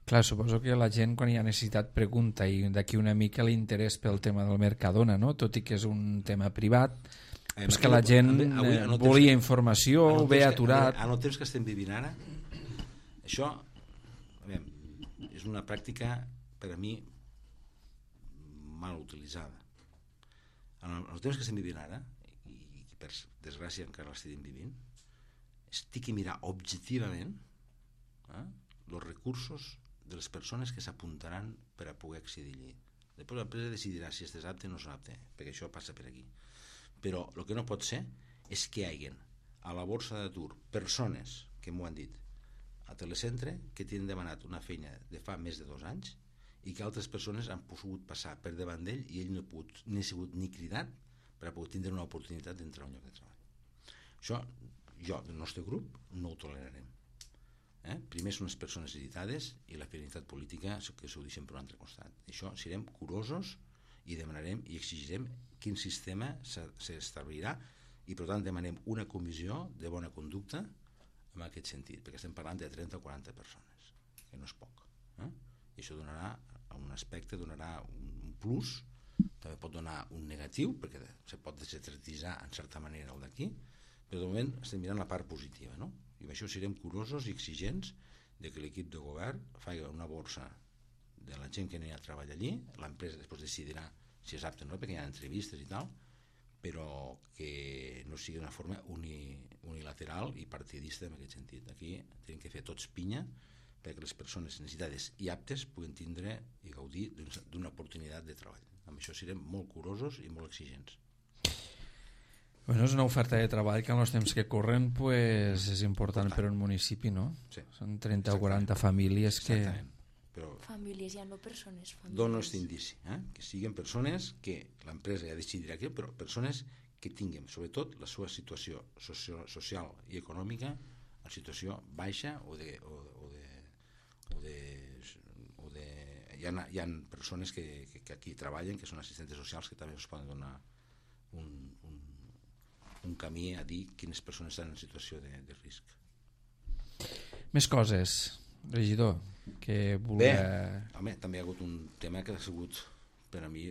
Clar, suposo que la gent quan hi ha necessitat pregunta i d'aquí una mica l'interès pel tema del Mercadona, no? Tot i que és un tema privat, eh, és que la gent avui, avui, volia que, informació, ho ve aturat. En el temps que estem vivint ara, això a veure, és una pràctica per a mi mal utilitzada. En el temps que estem vivint ara, i per desgràcia encara l'estem vivint, estic a mirar objectivament eh, els recursos de les persones que s'apuntaran per a poder accedir allí. Després l'empresa decidirà si és apte o no és apte, perquè això passa per aquí. Però el que no pot ser és que hi hagi a la borsa d'atur persones que m'ho han dit a Telecentre que tenen demanat una feina de fa més de dos anys i que altres persones han pogut passar per davant d'ell i ell no ha pogut ni ha sigut ni cridat per a poder tindre una oportunitat d'entrar a un lloc de treball. Això jo, del nostre grup, no ho tolerarem. Eh? Primer són les persones editades i la finalitat política que s'ho deixem per un altre costat. Això serem curosos i demanarem i exigirem quin sistema s'establirà i per tant demanem una comissió de bona conducta en aquest sentit, perquè estem parlant de trenta o quaranta persones, que no és poc. Eh? I això donarà un aspecte, donarà un plus, també pot donar un negatiu, perquè se pot desestratitzar en certa manera el d'aquí, però de moment estem mirant la part positiva, no? I amb això serem curosos i exigents de que l'equip de govern faci una borsa de la gent que anirà a treballar allí, l'empresa després decidirà si és apte o no, perquè hi ha entrevistes i tal, però que no sigui d'una forma uni, unilateral i partidista en aquest sentit. Aquí tenim que fer tots pinya perquè les persones necessitades i aptes puguen tindre i gaudir d'una oportunitat de treball. Amb això serem molt curosos i molt exigents. Bueno, és una oferta de treball que en els temps que corren pues, és important per a un municipi, no? Sí. Són trenta o quaranta famílies que... Exactament. Però famílies, ja no persones. Famílies. Dono aquest indici, eh? Que siguin persones que l'empresa ja decidirà aquí, però persones que tinguin, sobretot, la seva situació socio social i econòmica en situació baixa o de, o, o de, o de hi ha, hi ha persones que, que, que aquí treballen, que són assistentes socials, que també us poden donar un, un, un camí a dir quines persones estan en situació de, de risc. Més coses, regidor, que volia... Bé, home, també hi ha hagut un tema que ha sigut, per a mi,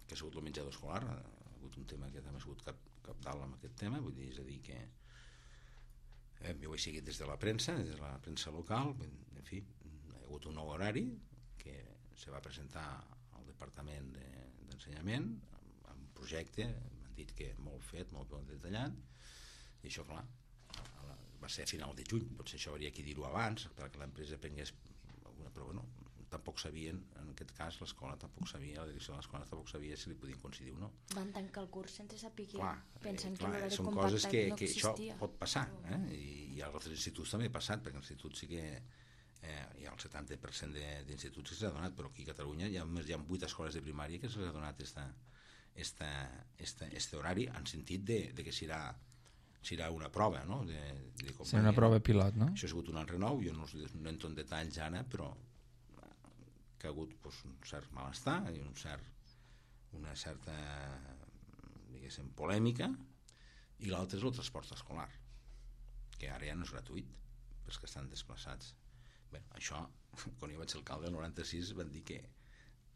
que ha sigut el menjador escolar, ha hagut un tema que també ha sigut cap, capdalt amb aquest tema, vull dir, és a dir que eh, jo ho he seguit des de la premsa, des de la premsa local, en fi, hi ha hagut un nou horari que se va presentar al Departament d'Ensenyament amb un projecte, m'han dit que molt fet, molt ben detallat, i això, clar, va ser a final de juny, potser això hauria que dir-ho abans perquè l'empresa prengués alguna, però bueno, tampoc sabien, en aquest cas l'escola tampoc sabia, la direcció de l'escola tampoc sabia si li podien coincidir o no. Van tancar el curs sense saber què, eh, pensant que clar, l'horari són compactat coses que, no que això existia. pot passar, eh? I, i a altres instituts també ha passat, perquè l'institut sí que eh, hi ha el setanta per cent d'instituts que s'ha donat, però aquí a Catalunya hi ha, hi ha vuit escoles de primària que s'ha donat esta, esta, esta, este horari en sentit de, de que serà serà una prova, no? De, de serà una prova pilot, no? Això ha sigut un altre nou, jo no, no entro en detalls ara, però que ha hagut pues, un cert malestar i un cert, una certa diguéssim polèmica, i l'altre és el transport escolar, que ara ja no és gratuït pels que estan desplaçats. Bé, això, quan jo vaig ser alcalde del noranta-sis van dir que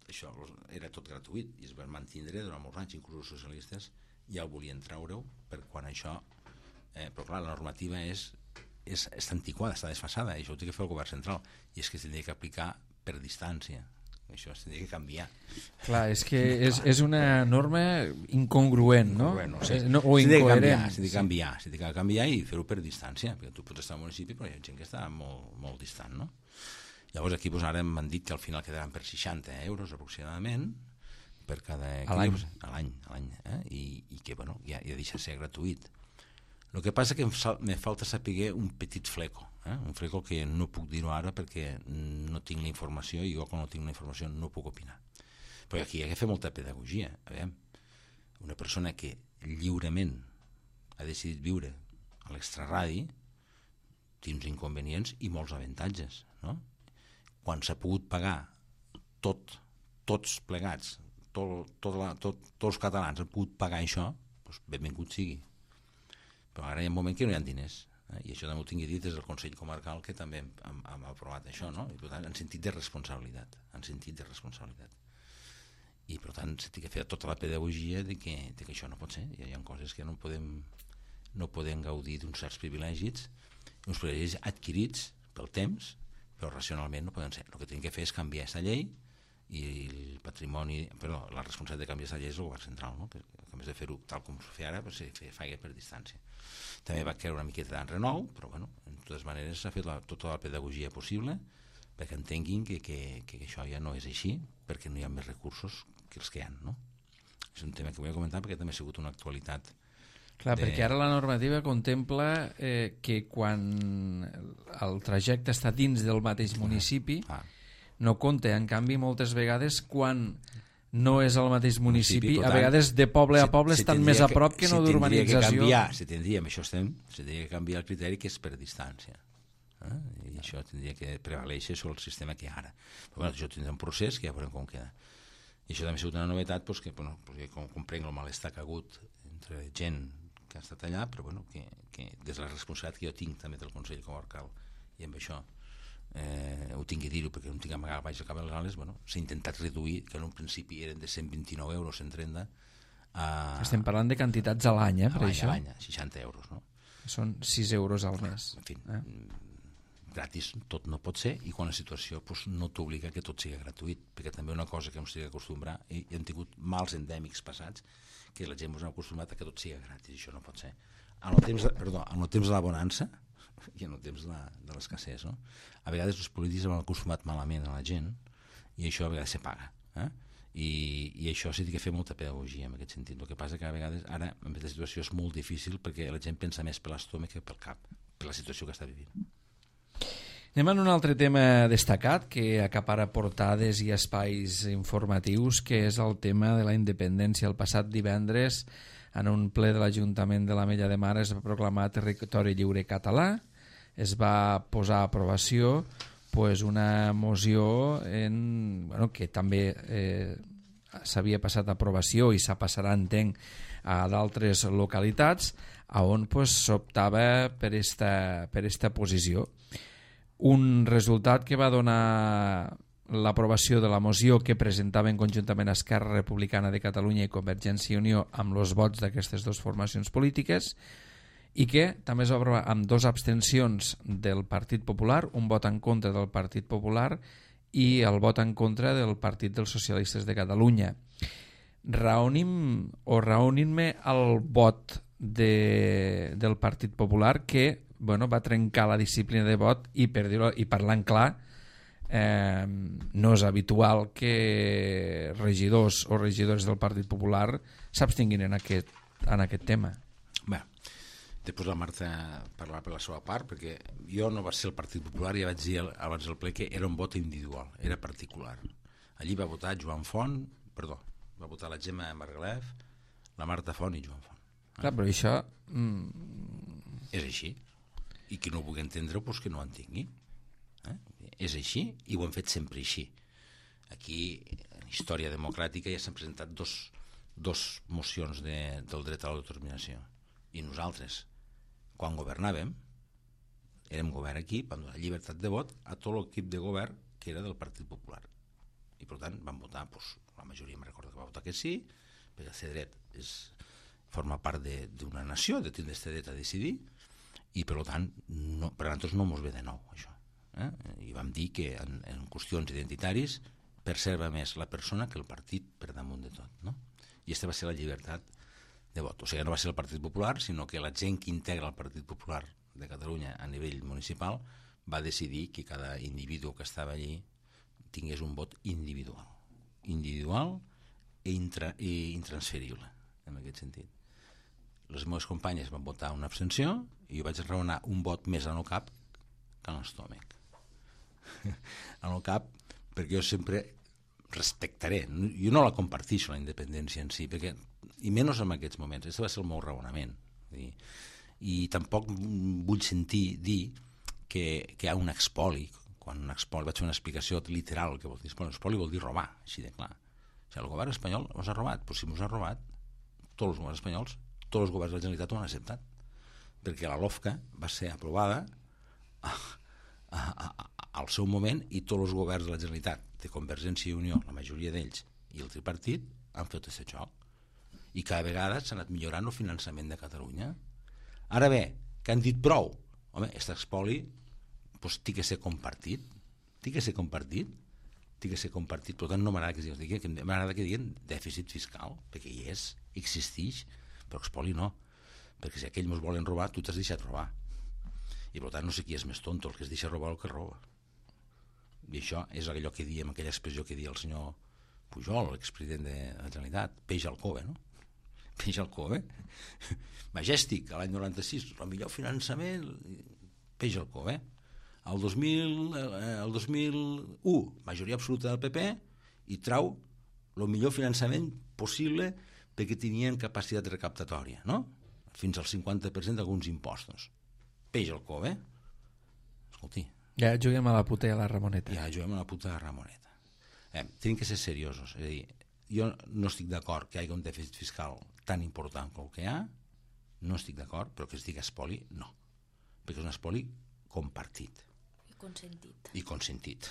això era tot gratuït i es van mantindre durant molts anys, inclús els socialistes ja ho volien treure-ho per quan això eh, però clar, la normativa és, és, és antiquada, està desfasada, i això ho té que fer el govern central, i és que s'hauria que aplicar per distància, això s'hauria que canviar. Clar, és que és, és una norma incongruent, no? Incongruent, no? Sí. no o incoherent. S'ha de canviar, s'ha de canviar i fer-ho per distància, perquè tu pots estar al municipi però hi ha gent que està molt, molt distant, no? Llavors aquí doncs, ara m'han dit que al final quedaran per seixanta euros aproximadament per cada... A l'any. A l'any, a l'any, eh? I, i que bueno, ja, ja deixa de ser gratuït. El que passa que em, me falta saber un petit fleco, eh? Un fleco que no puc dir-ho ara perquè no tinc la informació i jo quan no tinc la informació no puc opinar. Però aquí hi ha que fer molta pedagogia. A veure, una persona que lliurement ha decidit viure a l'extraradi té uns inconvenients i molts avantatges, no? Quan s'ha pogut pagar tot, tots plegats, tot, tot la, tot, tots els catalans han pogut pagar això, doncs benvingut sigui. Però ara hi ha un moment que no hi ha diners, eh? I això també ho tingui dit des del Consell Comarcal, que també hem, hem, hem aprovat això, no? I per tant, en sentit de responsabilitat, en sentit de responsabilitat. I per tant, s'ha de fer tota la pedagogia de que, de que això no pot ser. Hi ha coses que no podem, no podem gaudir d'uns certs privilegis, uns privilegis adquirits pel temps, però racionalment no poden ser. El que tenim que fer és canviar aquesta llei i el patrimoni, però la responsabilitat de canviar aquesta llei és el govern central, no? Que, que a més de fer-ho tal com s'ho fa ara, pues, se faci per distància. També va creure una miqueta d'enrenou, però bueno, de totes maneres s'ha fet la, tota la pedagogia possible perquè entenguin que, que, que això ja no és així, perquè no hi ha més recursos que els que hi ha, no? És un tema que vull comentar perquè també ha sigut una actualitat. Clar, de... perquè ara la normativa contempla eh, que quan el trajecte està dins del mateix municipi ah. no compta, en canvi moltes vegades quan no és el mateix municipi, a vegades de poble a poble estan més a prop que no d'urbanització. Si tindríem, això estem, si tindria que canviar el criteri que és per distància. Eh? I això tindria que prevaleixer sobre el sistema que hi ha ara. Però bueno, això tindrà un procés que ja veurem com queda. I això també ha sigut una novetat, doncs, que, bueno, perquè com comprenc el malestar que ha hagut entre gent que ha estat allà, però bueno, que, que des de la responsabilitat que jo tinc també del Consell Comarcal i amb això eh, ho tinc que dir-ho perquè no tinc amagar baix al cap de les ales, bueno, s'ha intentat reduir, que en un principi eren de cent vint-i-nou euros, cent trenta a... Estem parlant de quantitats a l'any, eh, per a això? A l'any, seixanta euros, no? Són sis euros al mes. En fi, eh? gratis tot no pot ser, i quan la situació pues, no t'obliga que tot sigui gratuït, perquè també una cosa que ens estigui acostumbrar, i hem tingut mals endèmics passats, que la gent ens ha acostumbrat a que tot sigui gratis, i això no pot ser. En el temps de, perdó, en el temps de la bonança i en el temps de, la, de l'escassez, no? A vegades els polítics han acostumat malament a la gent i això a vegades se paga, eh? I, i això s'ha de fer molta pedagogia en aquest sentit. El que passa que a vegades ara en aquesta situació és molt difícil perquè la gent pensa més per l'estómac que pel cap, per la situació que està vivint. Anem a un altre tema destacat que acapara portades i espais informatius, que és el tema de la independència. El passat divendres, en un ple de l'Ajuntament de l'Ametlla de Mar, es va proclamar territori lliure català, es va posar a aprovació, pues, una moció en, bueno, que també eh, s'havia passat aprovació i s'ha passarà, entenc, a d'altres localitats, on pues, s'optava per esta, per esta posició. Un resultat que va donar l'aprovació de la moció que presentaven conjuntament Esquerra Republicana de Catalunya i Convergència i Unió amb els vots d'aquestes dues formacions polítiques, i que també es va aprovar amb dues abstencions del Partit Popular, un vot en contra del Partit Popular i el vot en contra del Partit dels Socialistes de Catalunya. Raonim o raonin-me el vot de, del Partit Popular que bueno, va trencar la disciplina de vot i, per dir-ho, i parlant clar, eh, no és habitual que regidors o regidores del Partit Popular s'abstinguin en aquest, en aquest tema. Bé, després la Marta parlarà per la seva part, perquè jo no va ser el Partit Popular, ja vaig dir abans del ple que era un vot individual, era particular. Allí va votar Joan Font, perdó, va votar la Gemma Margalef, la Marta Font i Joan Font. Clar, però això... Mm... És així. I qui no ho vulgui entendre, doncs que no ho entengui. Eh? És així i ho hem fet sempre així. Aquí, en història democràtica, ja s'han presentat dos, dos mocions de, del dret a l'autodeterminació. I nosaltres, quan governàvem, érem govern aquí, vam donar llibertat de vot a tot l'equip de govern que era del Partit Popular. I, per tant, vam votar, doncs, la majoria em recorda que va votar que sí, perquè el dret és, forma part d'una nació, de tindre aquest dret a decidir, i per tant, no, per a nosaltres no ens ve de nou, això. Eh? I vam dir que en, en qüestions identitaris perserva més la persona que el partit per damunt de tot. No? I aquesta va ser la llibertat de vot. O sigui, no va ser el Partit Popular, sinó que la gent que integra el Partit Popular de Catalunya a nivell municipal va decidir que cada individu que estava allí tingués un vot individual. Individual i, intra, i intransferible, en aquest sentit. Les meves companyes van votar una abstenció i jo vaig raonar un vot més en el cap que en l'estómac. En el cap, perquè jo sempre respectaré, jo no la comparteixo la independència en si, perquè, i menys en aquests moments, aquest va ser el meu raonament. I, i tampoc vull sentir dir que, que hi ha un expoli, quan un expoli, vaig fer una explicació literal, que vol dir expoli, expoli vol dir robar, així de clar. O sigui, el govern espanyol ens ha robat, però si ens ha robat, tots els governs espanyols, tots els governs de la Generalitat ho han acceptat, perquè la LOFCA va ser aprovada a, a, a, al seu moment i tots els governs de la Generalitat, de Convergència i Unió, la majoria d'ells, i el tripartit, han fet aquest joc. I cada vegada s'ha anat millorant el finançament de Catalunya. Ara bé, que han dit prou? Home, aquest expoli doncs, té que ser compartit, té que ser compartit, té que ser compartit, per tant no m'agrada que diguin, m'agrada que diguin dèficit fiscal, perquè hi és, existeix, però expoli no, perquè si aquells ens volen robar, tu t'has deixat robar. I per tant no sé qui és més tonto, el que es deixa robar o el que roba. I això és allò que diem, aquella expressió que dia el senyor Pujol, l'expresident de la Generalitat, peix al cove, no? Peix al cove. Majestic, a l'any noranta-sis, el millor finançament, peix al cove. El dos mil, el dos mil u, majoria absoluta del P P, i trau el millor finançament possible perquè tenien capacitat recaptatòria, no? Fins al cinquanta per cent d'alguns impostos. Peix al cove. Escolti. Ja juguem a la puta i a la Ramoneta. Ja juguem a la puta i a la Ramoneta. Eh, tenim que ser seriosos. És a dir, jo no estic d'acord que hi hagi un dèficit fiscal tan important com el que hi ha, no estic d'acord, però que es digui espoli, no. Perquè és un espoli compartit. I consentit. I consentit.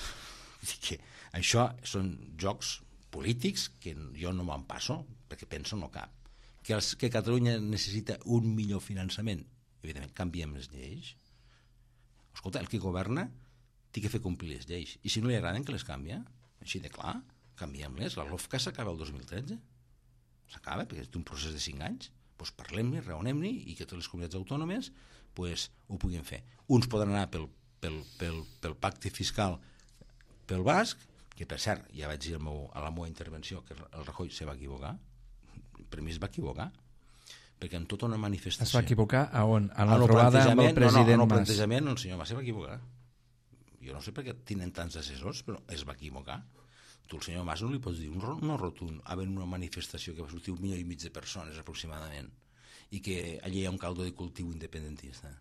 Que això són jocs polítics que jo no me'n passo, perquè penso no cap. Que, els, que Catalunya necessita un millor finançament, evidentment, canviem les lleis. Escolta, el que governa té que fer complir les lleis, i si no li agraden que les canvia, així de clar, canviem-les. La LOFCA s'acaba el dos mil tretze, s'acaba, perquè és un procés de cinc anys, doncs parlem-ne, raonem-ne, i que totes les comunitats autònomes doncs, ho puguin fer. Uns poden anar pel, pel, pel, pel pacte fiscal pel basc, que per cert, ja vaig dir meu, a la meva intervenció que el Rajoy se va equivocar, per mi es va equivocar, perquè en tota una manifestació... Es va equivocar a on? A la trobada amb el president Mas. No, no, en el plantejament el senyor Mas se va equivocar. Jo no sé per què tenen tants assessors, però es va equivocar. Tu al senyor Mas no li pots dir un no rotund, havent una manifestació que va sortir un milió i mig de persones aproximadament, i que allí hi ha un caldo de cultiu independentista.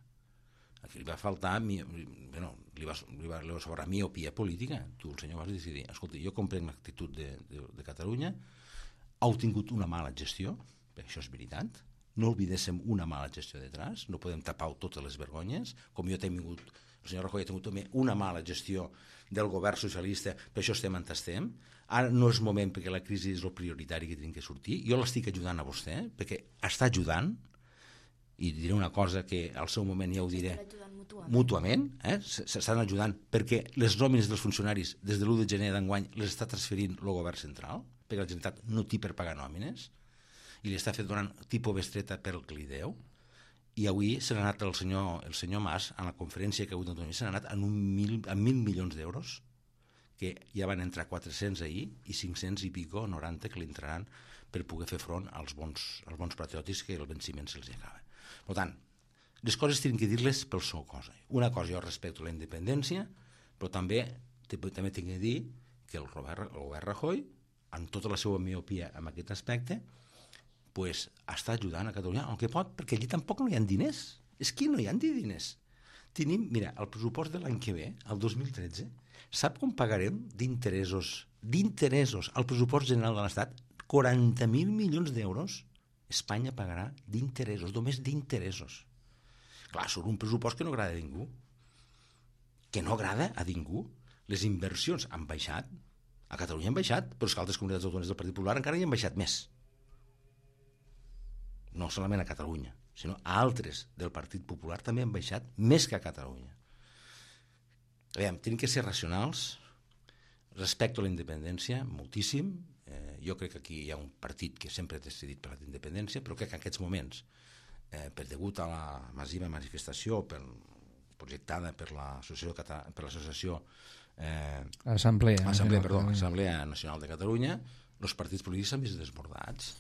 Aquí li va faltar, bueno, li va, li va, li va sobrar miopia política. Tu, el senyor, vas decidir, escolta, jo comprenc l'actitud de, de, de Catalunya, heu tingut una mala gestió, perquè això és veritat, no oblidéssim una mala gestió detrás, no podem tapar totes les vergonyes, com jo he tingut, el senyor Rajoy ha tingut també una mala gestió del govern socialista, per això estem on estem. Ara no és moment perquè la crisi és el prioritari que tenim que sortir. Jo l'estic ajudant a vostè, perquè està ajudant, i diré una cosa que al seu moment ja ho diré mútuament, eh? s'estan ajudant perquè les nòmines dels funcionaris des de l'u de gener d'enguany les està transferint el govern central, perquè la Generalitat no té per pagar nòmines i li està fet donant tipus bestreta per el que li deu, i avui s'ha anat el senyor, el senyor Mas a la conferència que ha hagut d'autonomia, s'ha anat en un mil, en mil milions d'euros, que ja van entrar quatre-cents ahir i cinc-cents i pico, noranta, que li entraran per poder fer front als bons, als bons patriòtics que el venciment se'ls acaba. Per tant, les coses tenen que dir-les pel seu cosa. Una cosa, jo respecto la independència, però també també tinc que dir que el govern, el govern Rajoy, amb tota la seva miopia en aquest aspecte, pues, està ajudant a Catalunya el que pot, perquè allí tampoc no hi ha diners. És que no hi ha diners. Tenim, mira, el pressupost de l'any que ve, el dos mil tretze, sap com pagarem d'interessos, d'interessos al pressupost general de l'Estat? quaranta mil milions d'euros. Espanya pagarà d'interessos, només d'interessos. Clar, són un pressupost que no agrada a ningú. Que no agrada a ningú. Les inversions han baixat, a Catalunya han baixat, però és que altres comunitats autònomes del Partit Popular encara hi han baixat més. No solament a Catalunya, sinó a altres del Partit Popular també han baixat més que a Catalunya. Aviam, tenim que ser racionals, respecto a la independència, moltíssim. Eh, jo crec que aquí hi ha un partit que sempre ha decidit per la independència, però crec que en aquests moments, eh, per degut a la massiva manifestació per, projectada per l'Associació per l'Associació eh, Assemblea, Assemblea, perdó, Assemblea Nacional de Catalunya, els partits polítics s'han vist desbordats.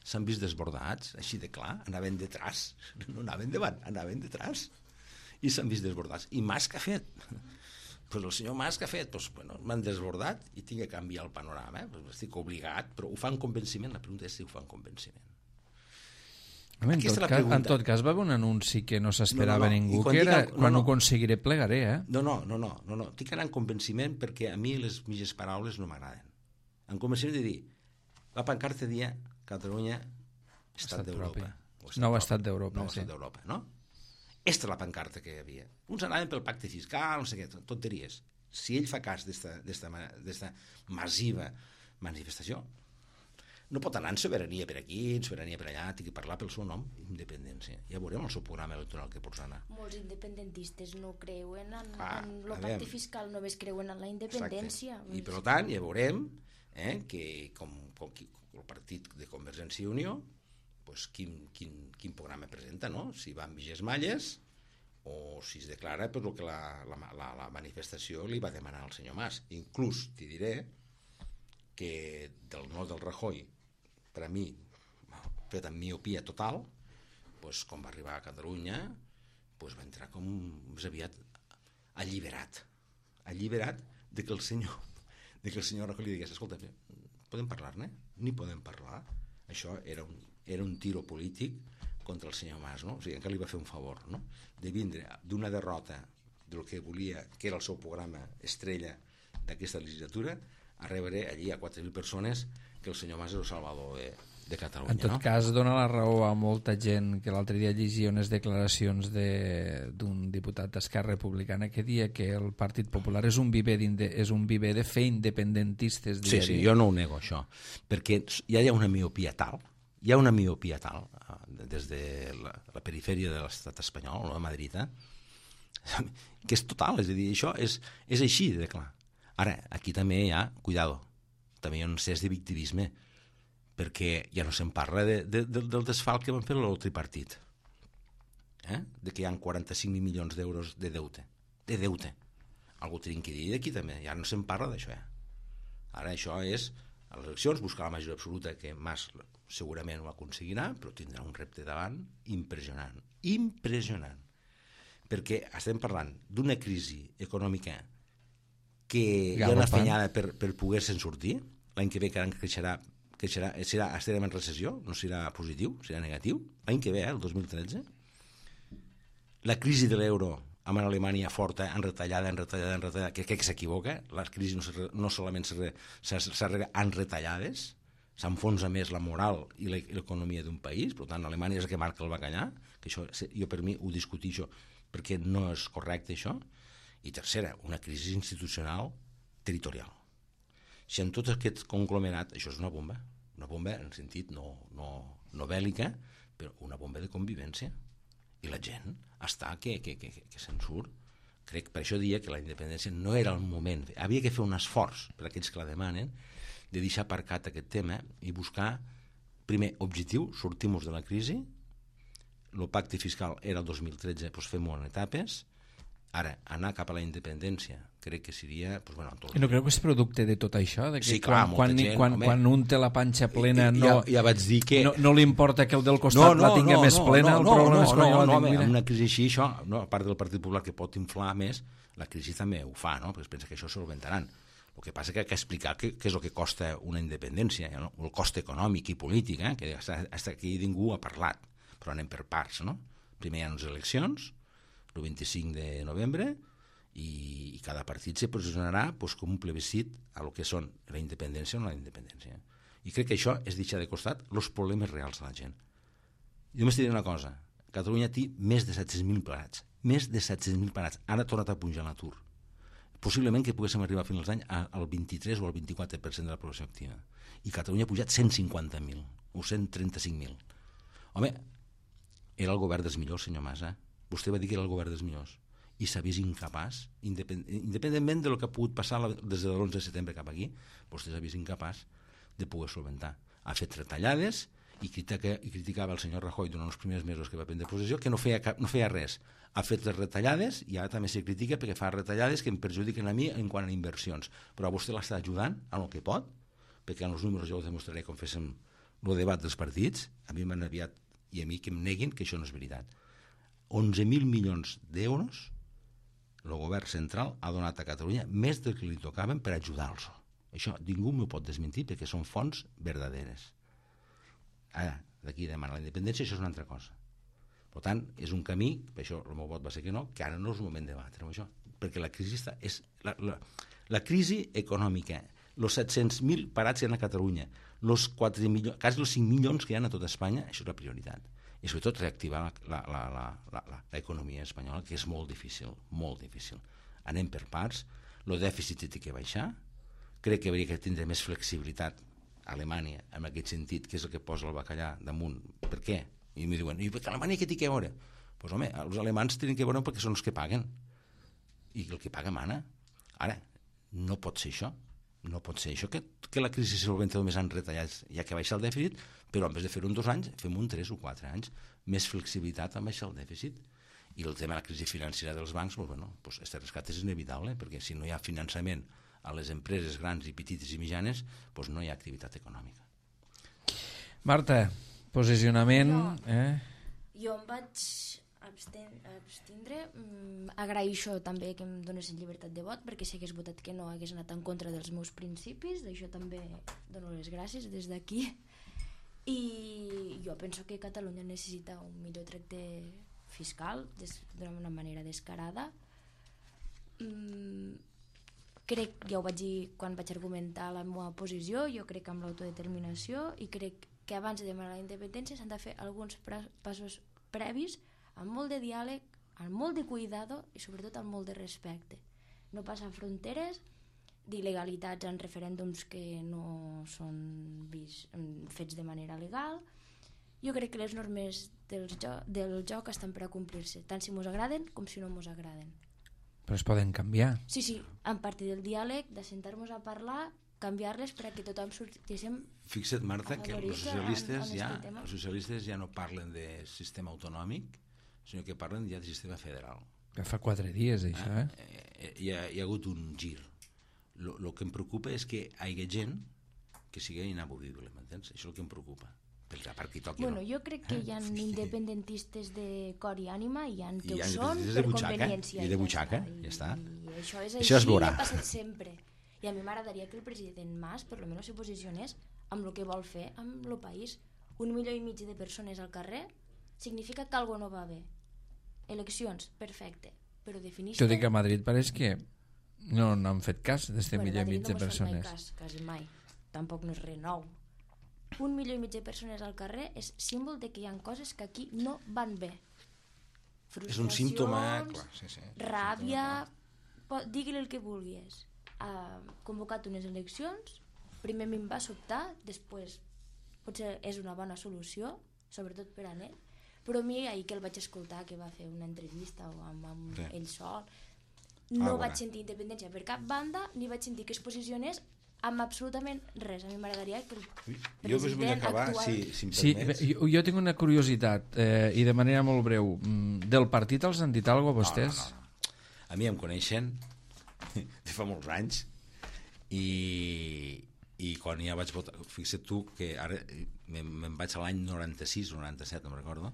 S'han vist desbordats, així de clar, anaven detrás, no anaven davant, anaven detrás, i s'han vist desbordats. I Mas què ha fet? Pues el senyor Mas que ha fet? Pues, bueno, m'han desbordat i tinc que canviar el panorama. Eh? Pues estic obligat, però ho fa en convenciment. La pregunta és si ho fa en convenciment. Home, en, tot cas, en tot cas va haver un anunci que no s'esperava no, no, no. ningú, quan que era, no, quan no, ho aconseguiré plegaré, eh? No, no, no, no, no, no. Tinc que anar en convenciment perquè a mi les mitges paraules no m'agraden. En convenciment de dir, la pancarta dia Catalunya, Estat, estat d'Europa. Nou Estat d'Europa, nou Estat d'Europa, no? Esta és la pancarta que hi havia. Uns anaven pel pacte fiscal, no sé què, tonteries. Si ell fa cas d'esta massiva manifestació, no pot anar en sobirania per aquí, en sobirania per allà, té que parlar pel seu nom, independència. Ja veurem el seu programa electoral que pots anar. Molts independentistes no creuen en, ah, en el pacte fiscal, només creuen en la independència. Exacte. I per tant ja veurem eh, que com, com, com el partit de Convergència i Unió, pues, quin, quin, quin programa presenta, no? Si va amb viges malles o si es declara per el que la, la, la, la manifestació li va demanar al senyor Mas. Inclús t'hi diré que del no del Rajoy, per a mi, fet amb miopia total, pues, quan va arribar a Catalunya, pues, va entrar com més aviat alliberat. Alliberat de que el senyor, de que el senyor Rajoy li digués, escolta, podem parlar-ne? Ni podem parlar. Això era un era un tiro polític contra el senyor Mas, no? O sigui, encara li va fer un favor, no? De vindre d'una derrota del que volia, que era el seu programa estrella d'aquesta legislatura, a rebre allí a quatre mil persones que el senyor Mas és el salvador de, de Catalunya. En tot no? cas, dona la raó a molta gent que l'altre dia llegia unes declaracions d'un de, diputat d'Esquerra Republicana que dia que el Partit Popular és un viver, és un viver de fer independentistes. Sí, sí, jo no ho nego, això, perquè ja hi ha una miopia tal, hi ha una miopia tal, des de la, la perifèria de l'estat espanyol, o de Madrid, eh? que és total, és a dir, això és, és així de clar. Ara, aquí també hi ha, cuidado, també hi ha un cés de victimisme, perquè ja no se'n parla de, de, de, del desfalt que van fer el tripartit, eh? de que hi ha quaranta-cinc mil milions d'euros de deute, de deute. Algú tenim que dir d'aquí també, ja no se'n parla d'això. Eh? Ara això és, a les eleccions, buscar la majoria absoluta, que Mas segurament ho aconseguirà, però tindrà un repte davant impressionant, impressionant, perquè estem parlant d'una crisi econòmica que hi ha una fenyada per, per poder-se'n sortir. L'any que ve creixerà, creixerà, serà, estarem en recessió, no serà positiu, serà negatiu, l'any que ve, eh, el dos mil tretze. la crisi de l'euro amb Alemanya forta, enretallada, enretallada, enretallada, que crec que s'equivoca, la crisi no, no solament s'arregla en retallades, s'enfonsa més la moral i l'economia d'un país, per tant, Alemanya és el que marca el bacallà, que això, jo per mi ho discutixo perquè no és correcte això, i tercera, una crisi institucional territorial. Si en tot aquest conglomerat, això és una bomba, una bomba en sentit no, no, no bèl·lica, però una bomba de convivència, i la gent està que, que, que, que se'n surt. Crec, per això dia que la independència no era el moment, havia que fer un esforç per aquells que la demanen, de deixar aparcat aquest tema i buscar, primer, objectiu, sortim-nos de la crisi, el pacte fiscal era el dos mil tretze, doncs fem-ho en etapes, ara, anar cap a la independència, crec que seria... Doncs, bueno, tot... I no creu que és producte de tot això? De que sí, clar, quan, quan, gent, quan, quan un té la panxa plena no, ja, ja vaig dir que... no, no li importa que el del costat no, no, la tingui no, més no, plena, no, el no, problema no, és quan no, jo la no, tinc... No, una crisi així, això, no, a part del Partit Popular que pot inflar més, la crisi també ho fa, no? Perquè es pensa que això solventaran. El que passa és que ha que explicar què, què és el que costa una independència, no? El cost econòmic i polític, eh? Que fins aquí ningú ha parlat, però anem per parts, no? Primer hi ha unes eleccions, el vint-i-cinc de novembre, i, i cada partit se posicionarà pues, com un plebiscit a lo que són la independència o no la independència. I crec que això és deixar de costat els problemes reals de la gent. Jo m'estic dient una cosa, Catalunya té més de set-cents mil parats, més de set-cents mil parats, ara ha tornat a pujar l'atur. Possiblement que poguéssim arribar a finals d'any al vint-i-tres o al vint-i-quatre per cent de la població activa. I Catalunya ha pujat cent cinquanta mil o cent trenta-cinc mil. Home, era el govern dels millors, senyor Mas, eh? Vostè va dir que era el govern dels millors i s'ha vist incapaç, independ... independentment del que ha pogut passar des de l'onze de setembre cap aquí, vostè s'ha vist incapaç de poder solventar. Ha fet retallades i, critica... i criticava el senyor Rajoy durant els primers mesos que va prendre possessió que no feia, cap... no feia res. Ha fet les retallades i ara també se critica perquè fa retallades que em perjudiquen a mi en quant a inversions. Però vostè l'està ajudant en el que pot, perquè en els números jo ho demostraré com féssim el debat dels partits, a mi m'han aviat i a mi que em neguin que això no és veritat. onze mil milions d'euros el govern central ha donat a Catalunya més del que li tocaven per ajudar-los. Això ningú m'ho pot desmentir perquè són fonts verdaderes. Ara, d'aquí demanar la independència, això és una altra cosa. Per tant, és un camí, per això el meu vot va ser que no, que ara no és el moment de debatre això, perquè la crisi està, és la, la, la crisi econòmica, els set-cents mil parats que hi ha a Catalunya, els quatre milions, quasi els cinc milions que hi ha a tota Espanya, això és la prioritat. I sobretot reactivar l'economia espanyola, que és molt difícil, molt difícil. Anem per parts, el dèficit té que baixar, crec que hauria que tindre més flexibilitat a Alemanya, en aquest sentit, que és el que posa el bacallà damunt. Per què? I em diuen, i per què Alemanya què té que veure? Doncs pues, home, els alemans tenen que veure perquè són els que paguen. I el que paga mana. Ara, no pot ser això. No pot ser això, que, que la crisi se solventa només en retallats, ja que baixa el dèficit, però en vez de fer-ho en dos anys, fem un tres o quatre anys. Més flexibilitat en baixar el dèficit. I el tema de la crisi financera dels bancs, doncs, bueno, doncs, este rescat és inevitable, perquè si no hi ha finançament a les empreses grans i petites i mitjanes, doncs no hi ha activitat econòmica. Marta, posicionament... Jo, eh? jo em vaig abstindre. Mm, agraeixo també que em donessin llibertat de vot, perquè si hagués votat que no hagués anat en contra dels meus principis, d'això també dono les gràcies des d'aquí. I jo penso que Catalunya necessita un millor tracte fiscal d'una manera descarada. Mm, crec, ja ho vaig dir quan vaig argumentar la meva posició, jo crec en l'autodeterminació i crec que abans de demanar la independència s'han de fer alguns passos previs amb molt de diàleg, amb molt de cuidado i sobretot amb molt de respecte. No passar fronteres d'il·legalitats en referèndums que no són vis, fets de manera legal. Jo crec que les normes del joc, del joc estan per a complir-se, tant si mos agraden com si no mos agraden. Però es poden canviar. Sí, sí, a partir del diàleg, de sentar-nos a parlar, canviar-les perquè tothom sortíssim... Fixa't, Marta, que els socialistes, en, en ja, els socialistes ja no parlen de sistema autonòmic, sinó que parlen ja de sistema federal. Que fa quatre dies, això, eh? eh? Hi, ha, hi ha hagut un gir. El que em preocupa és que hi hagi gent que sigui inamovible, m'entens? Això és el que em preocupa. Perquè a part que toqui... Bueno, no. jo crec que hi ha eh? independentistes de cor i ànima, i hi ha que I ho ha són de per butxaca, conveniència. I de butxaca, I, ja està. I això és això així, es veurà. ha passat sempre. I a mi m'agradaria que el president Mas, per almenys, se posicionés amb el que vol fer amb el país. Un milió i mig de persones al carrer significa que alguna no va bé. eleccions, perfecte, però defineix... Jo dic que a Madrid pareix que no n'han fet cas d'este bueno, milió i mig de no persones. Mai cas, quasi mai. Tampoc no és res nou. Un milió i mig de persones al carrer és símbol de que hi ha coses que aquí no van bé. És un símptoma, clar, sí, sí. Ràbia, símptoma, digui-li el que vulguis. Ha convocat unes eleccions, primer m'hi va sobtar, després potser és una bona solució, sobretot per a ell, però a mi ahir que el vaig escoltar, que va fer una entrevista o amb, amb sí. ell sol, no ah, vaig sentir independència per cap banda, ni vaig sentir que es posicionés amb absolutament res. A mi m'agradaria que el president jo vull acabar, actual... si, si em sí, permets. jo, jo tinc una curiositat, eh, i de manera molt breu. Del partit els han dit alguna cosa a vostès? No, no, no. A mi em coneixen de fa molts anys i, i quan ja vaig votar, fixa't tu que ara me'n me vaig a l'any noranta-sis o noranta-set, no me'n recordo,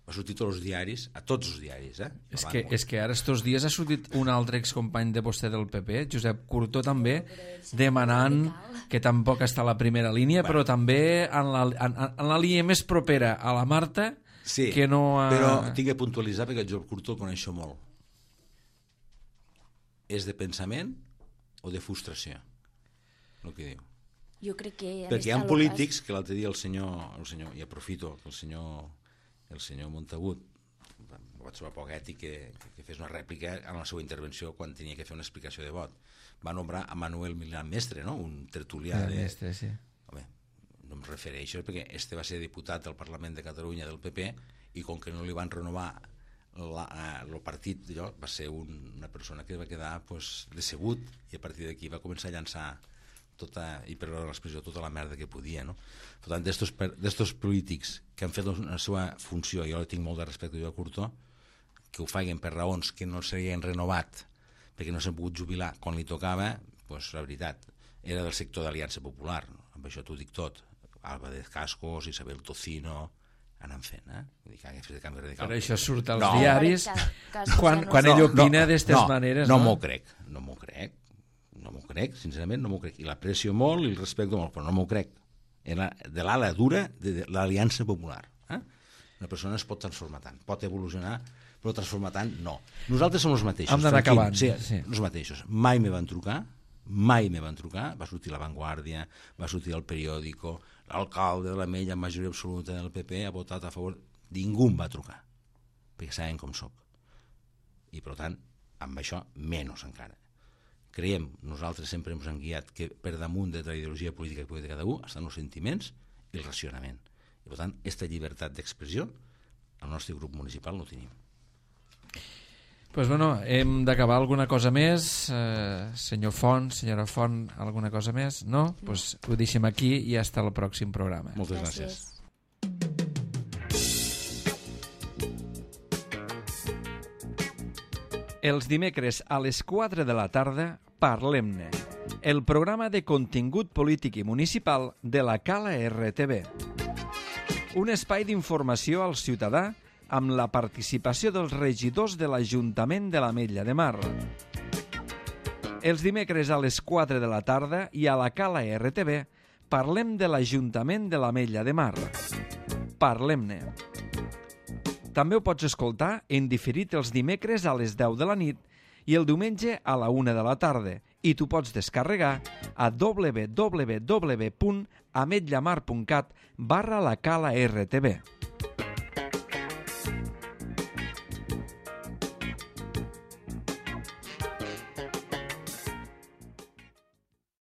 va sortir tots els diaris, a tots els diaris, eh? És que, és que ara estos dies ha sortit un altre excompany de vostè del P P, Josep Curto també, demanant que tampoc està a la primera línia, bueno, però també en la, en, en la línia més propera a la Marta, sí, que no ha... però tinc que puntualitzar perquè el Josep Curto el coneixo molt. És de pensament o de frustració, el que diu. Jo crec que... Perquè hi ha polítics, que l'altre dia el senyor, el senyor, i aprofito que el senyor, el senyor Montagut, ho vaig trobar poc ètic que, que fes una rèplica en la seva intervenció quan tenia que fer una explicació de vot. Va nombrar a Manuel Milán Mestre, no? Un tertulià de... Mestre, sí. Home, no em refereixo perquè este va ser diputat del Parlament de Catalunya del P P i com que no li van renovar el partit, allò, va ser un, una persona que va quedar pues, decebut i a partir d'aquí va començar a llançar tota, i per l'expressió, tota la merda que podia, no? Per tant, d'estos polítics que han fet la seva funció, jo tinc molt de respecte a Curto, que ho facin per raons que no s'havien renovat perquè no s'han pogut jubilar quan li tocava, pues, la veritat, era del sector d'Aliança Popular, no? Amb això t'ho dic tot, Alba de Cascos, Isabel Tocino, anant fent, eh? Vull dir que hagués fet de canvi radical. Però això surt als no. diaris quan, quan no, ell opina no, d'estes no, maneres. No, no m'ho crec, no m'ho crec, no m'ho crec, sincerament no m'ho crec. I l'aprecio molt i el respecto molt, però no m'ho crec. Era de l'ala dura de l'Aliança Popular. Eh? Una persona es pot transformar tant, pot evolucionar, però transformar tant, no. Nosaltres som els mateixos. Hem d'anar acabant. Sí, sí. Els mateixos. Mai me van trucar, mai me van trucar, va sortir La Vanguardia, va sortir el periòdico, l'alcalde de l'Ametlla amb majoria absoluta del P P ha votat a favor, ningú em va trucar, perquè saben com soc. I per tant, amb això, menys encara. Creiem, nosaltres sempre ens hem guiat que per damunt de la ideologia política que pugui de cada un estan els sentiments i el racionament. I per tant, aquesta llibertat d'expressió, al nostre grup municipal no tenim. Pues bueno, hem d'acabar alguna cosa més. Eh, senyor Font, senyora Font, alguna cosa més? No? Doncs pues ho deixem aquí i hasta el pròxim programa. Moltes gràcies. gràcies. Els dimecres a les quatre de la tarda, Parlem-ne, el programa de contingut polític i municipal de la Cala R T V. Un espai d'informació al ciutadà amb la participació dels regidors de l'Ajuntament de l'Ametlla de Mar. Els dimecres a les quatre de la tarda i a la Cala R T V parlem de l'Ajuntament de l'Ametlla de Mar. Parlem-ne. També ho pots escoltar en diferit els dimecres a les deu de la nit i el diumenge a la una de la tarda i tu pots descarregar a w w w punt ametllamar punt cat barra la Cala R T V.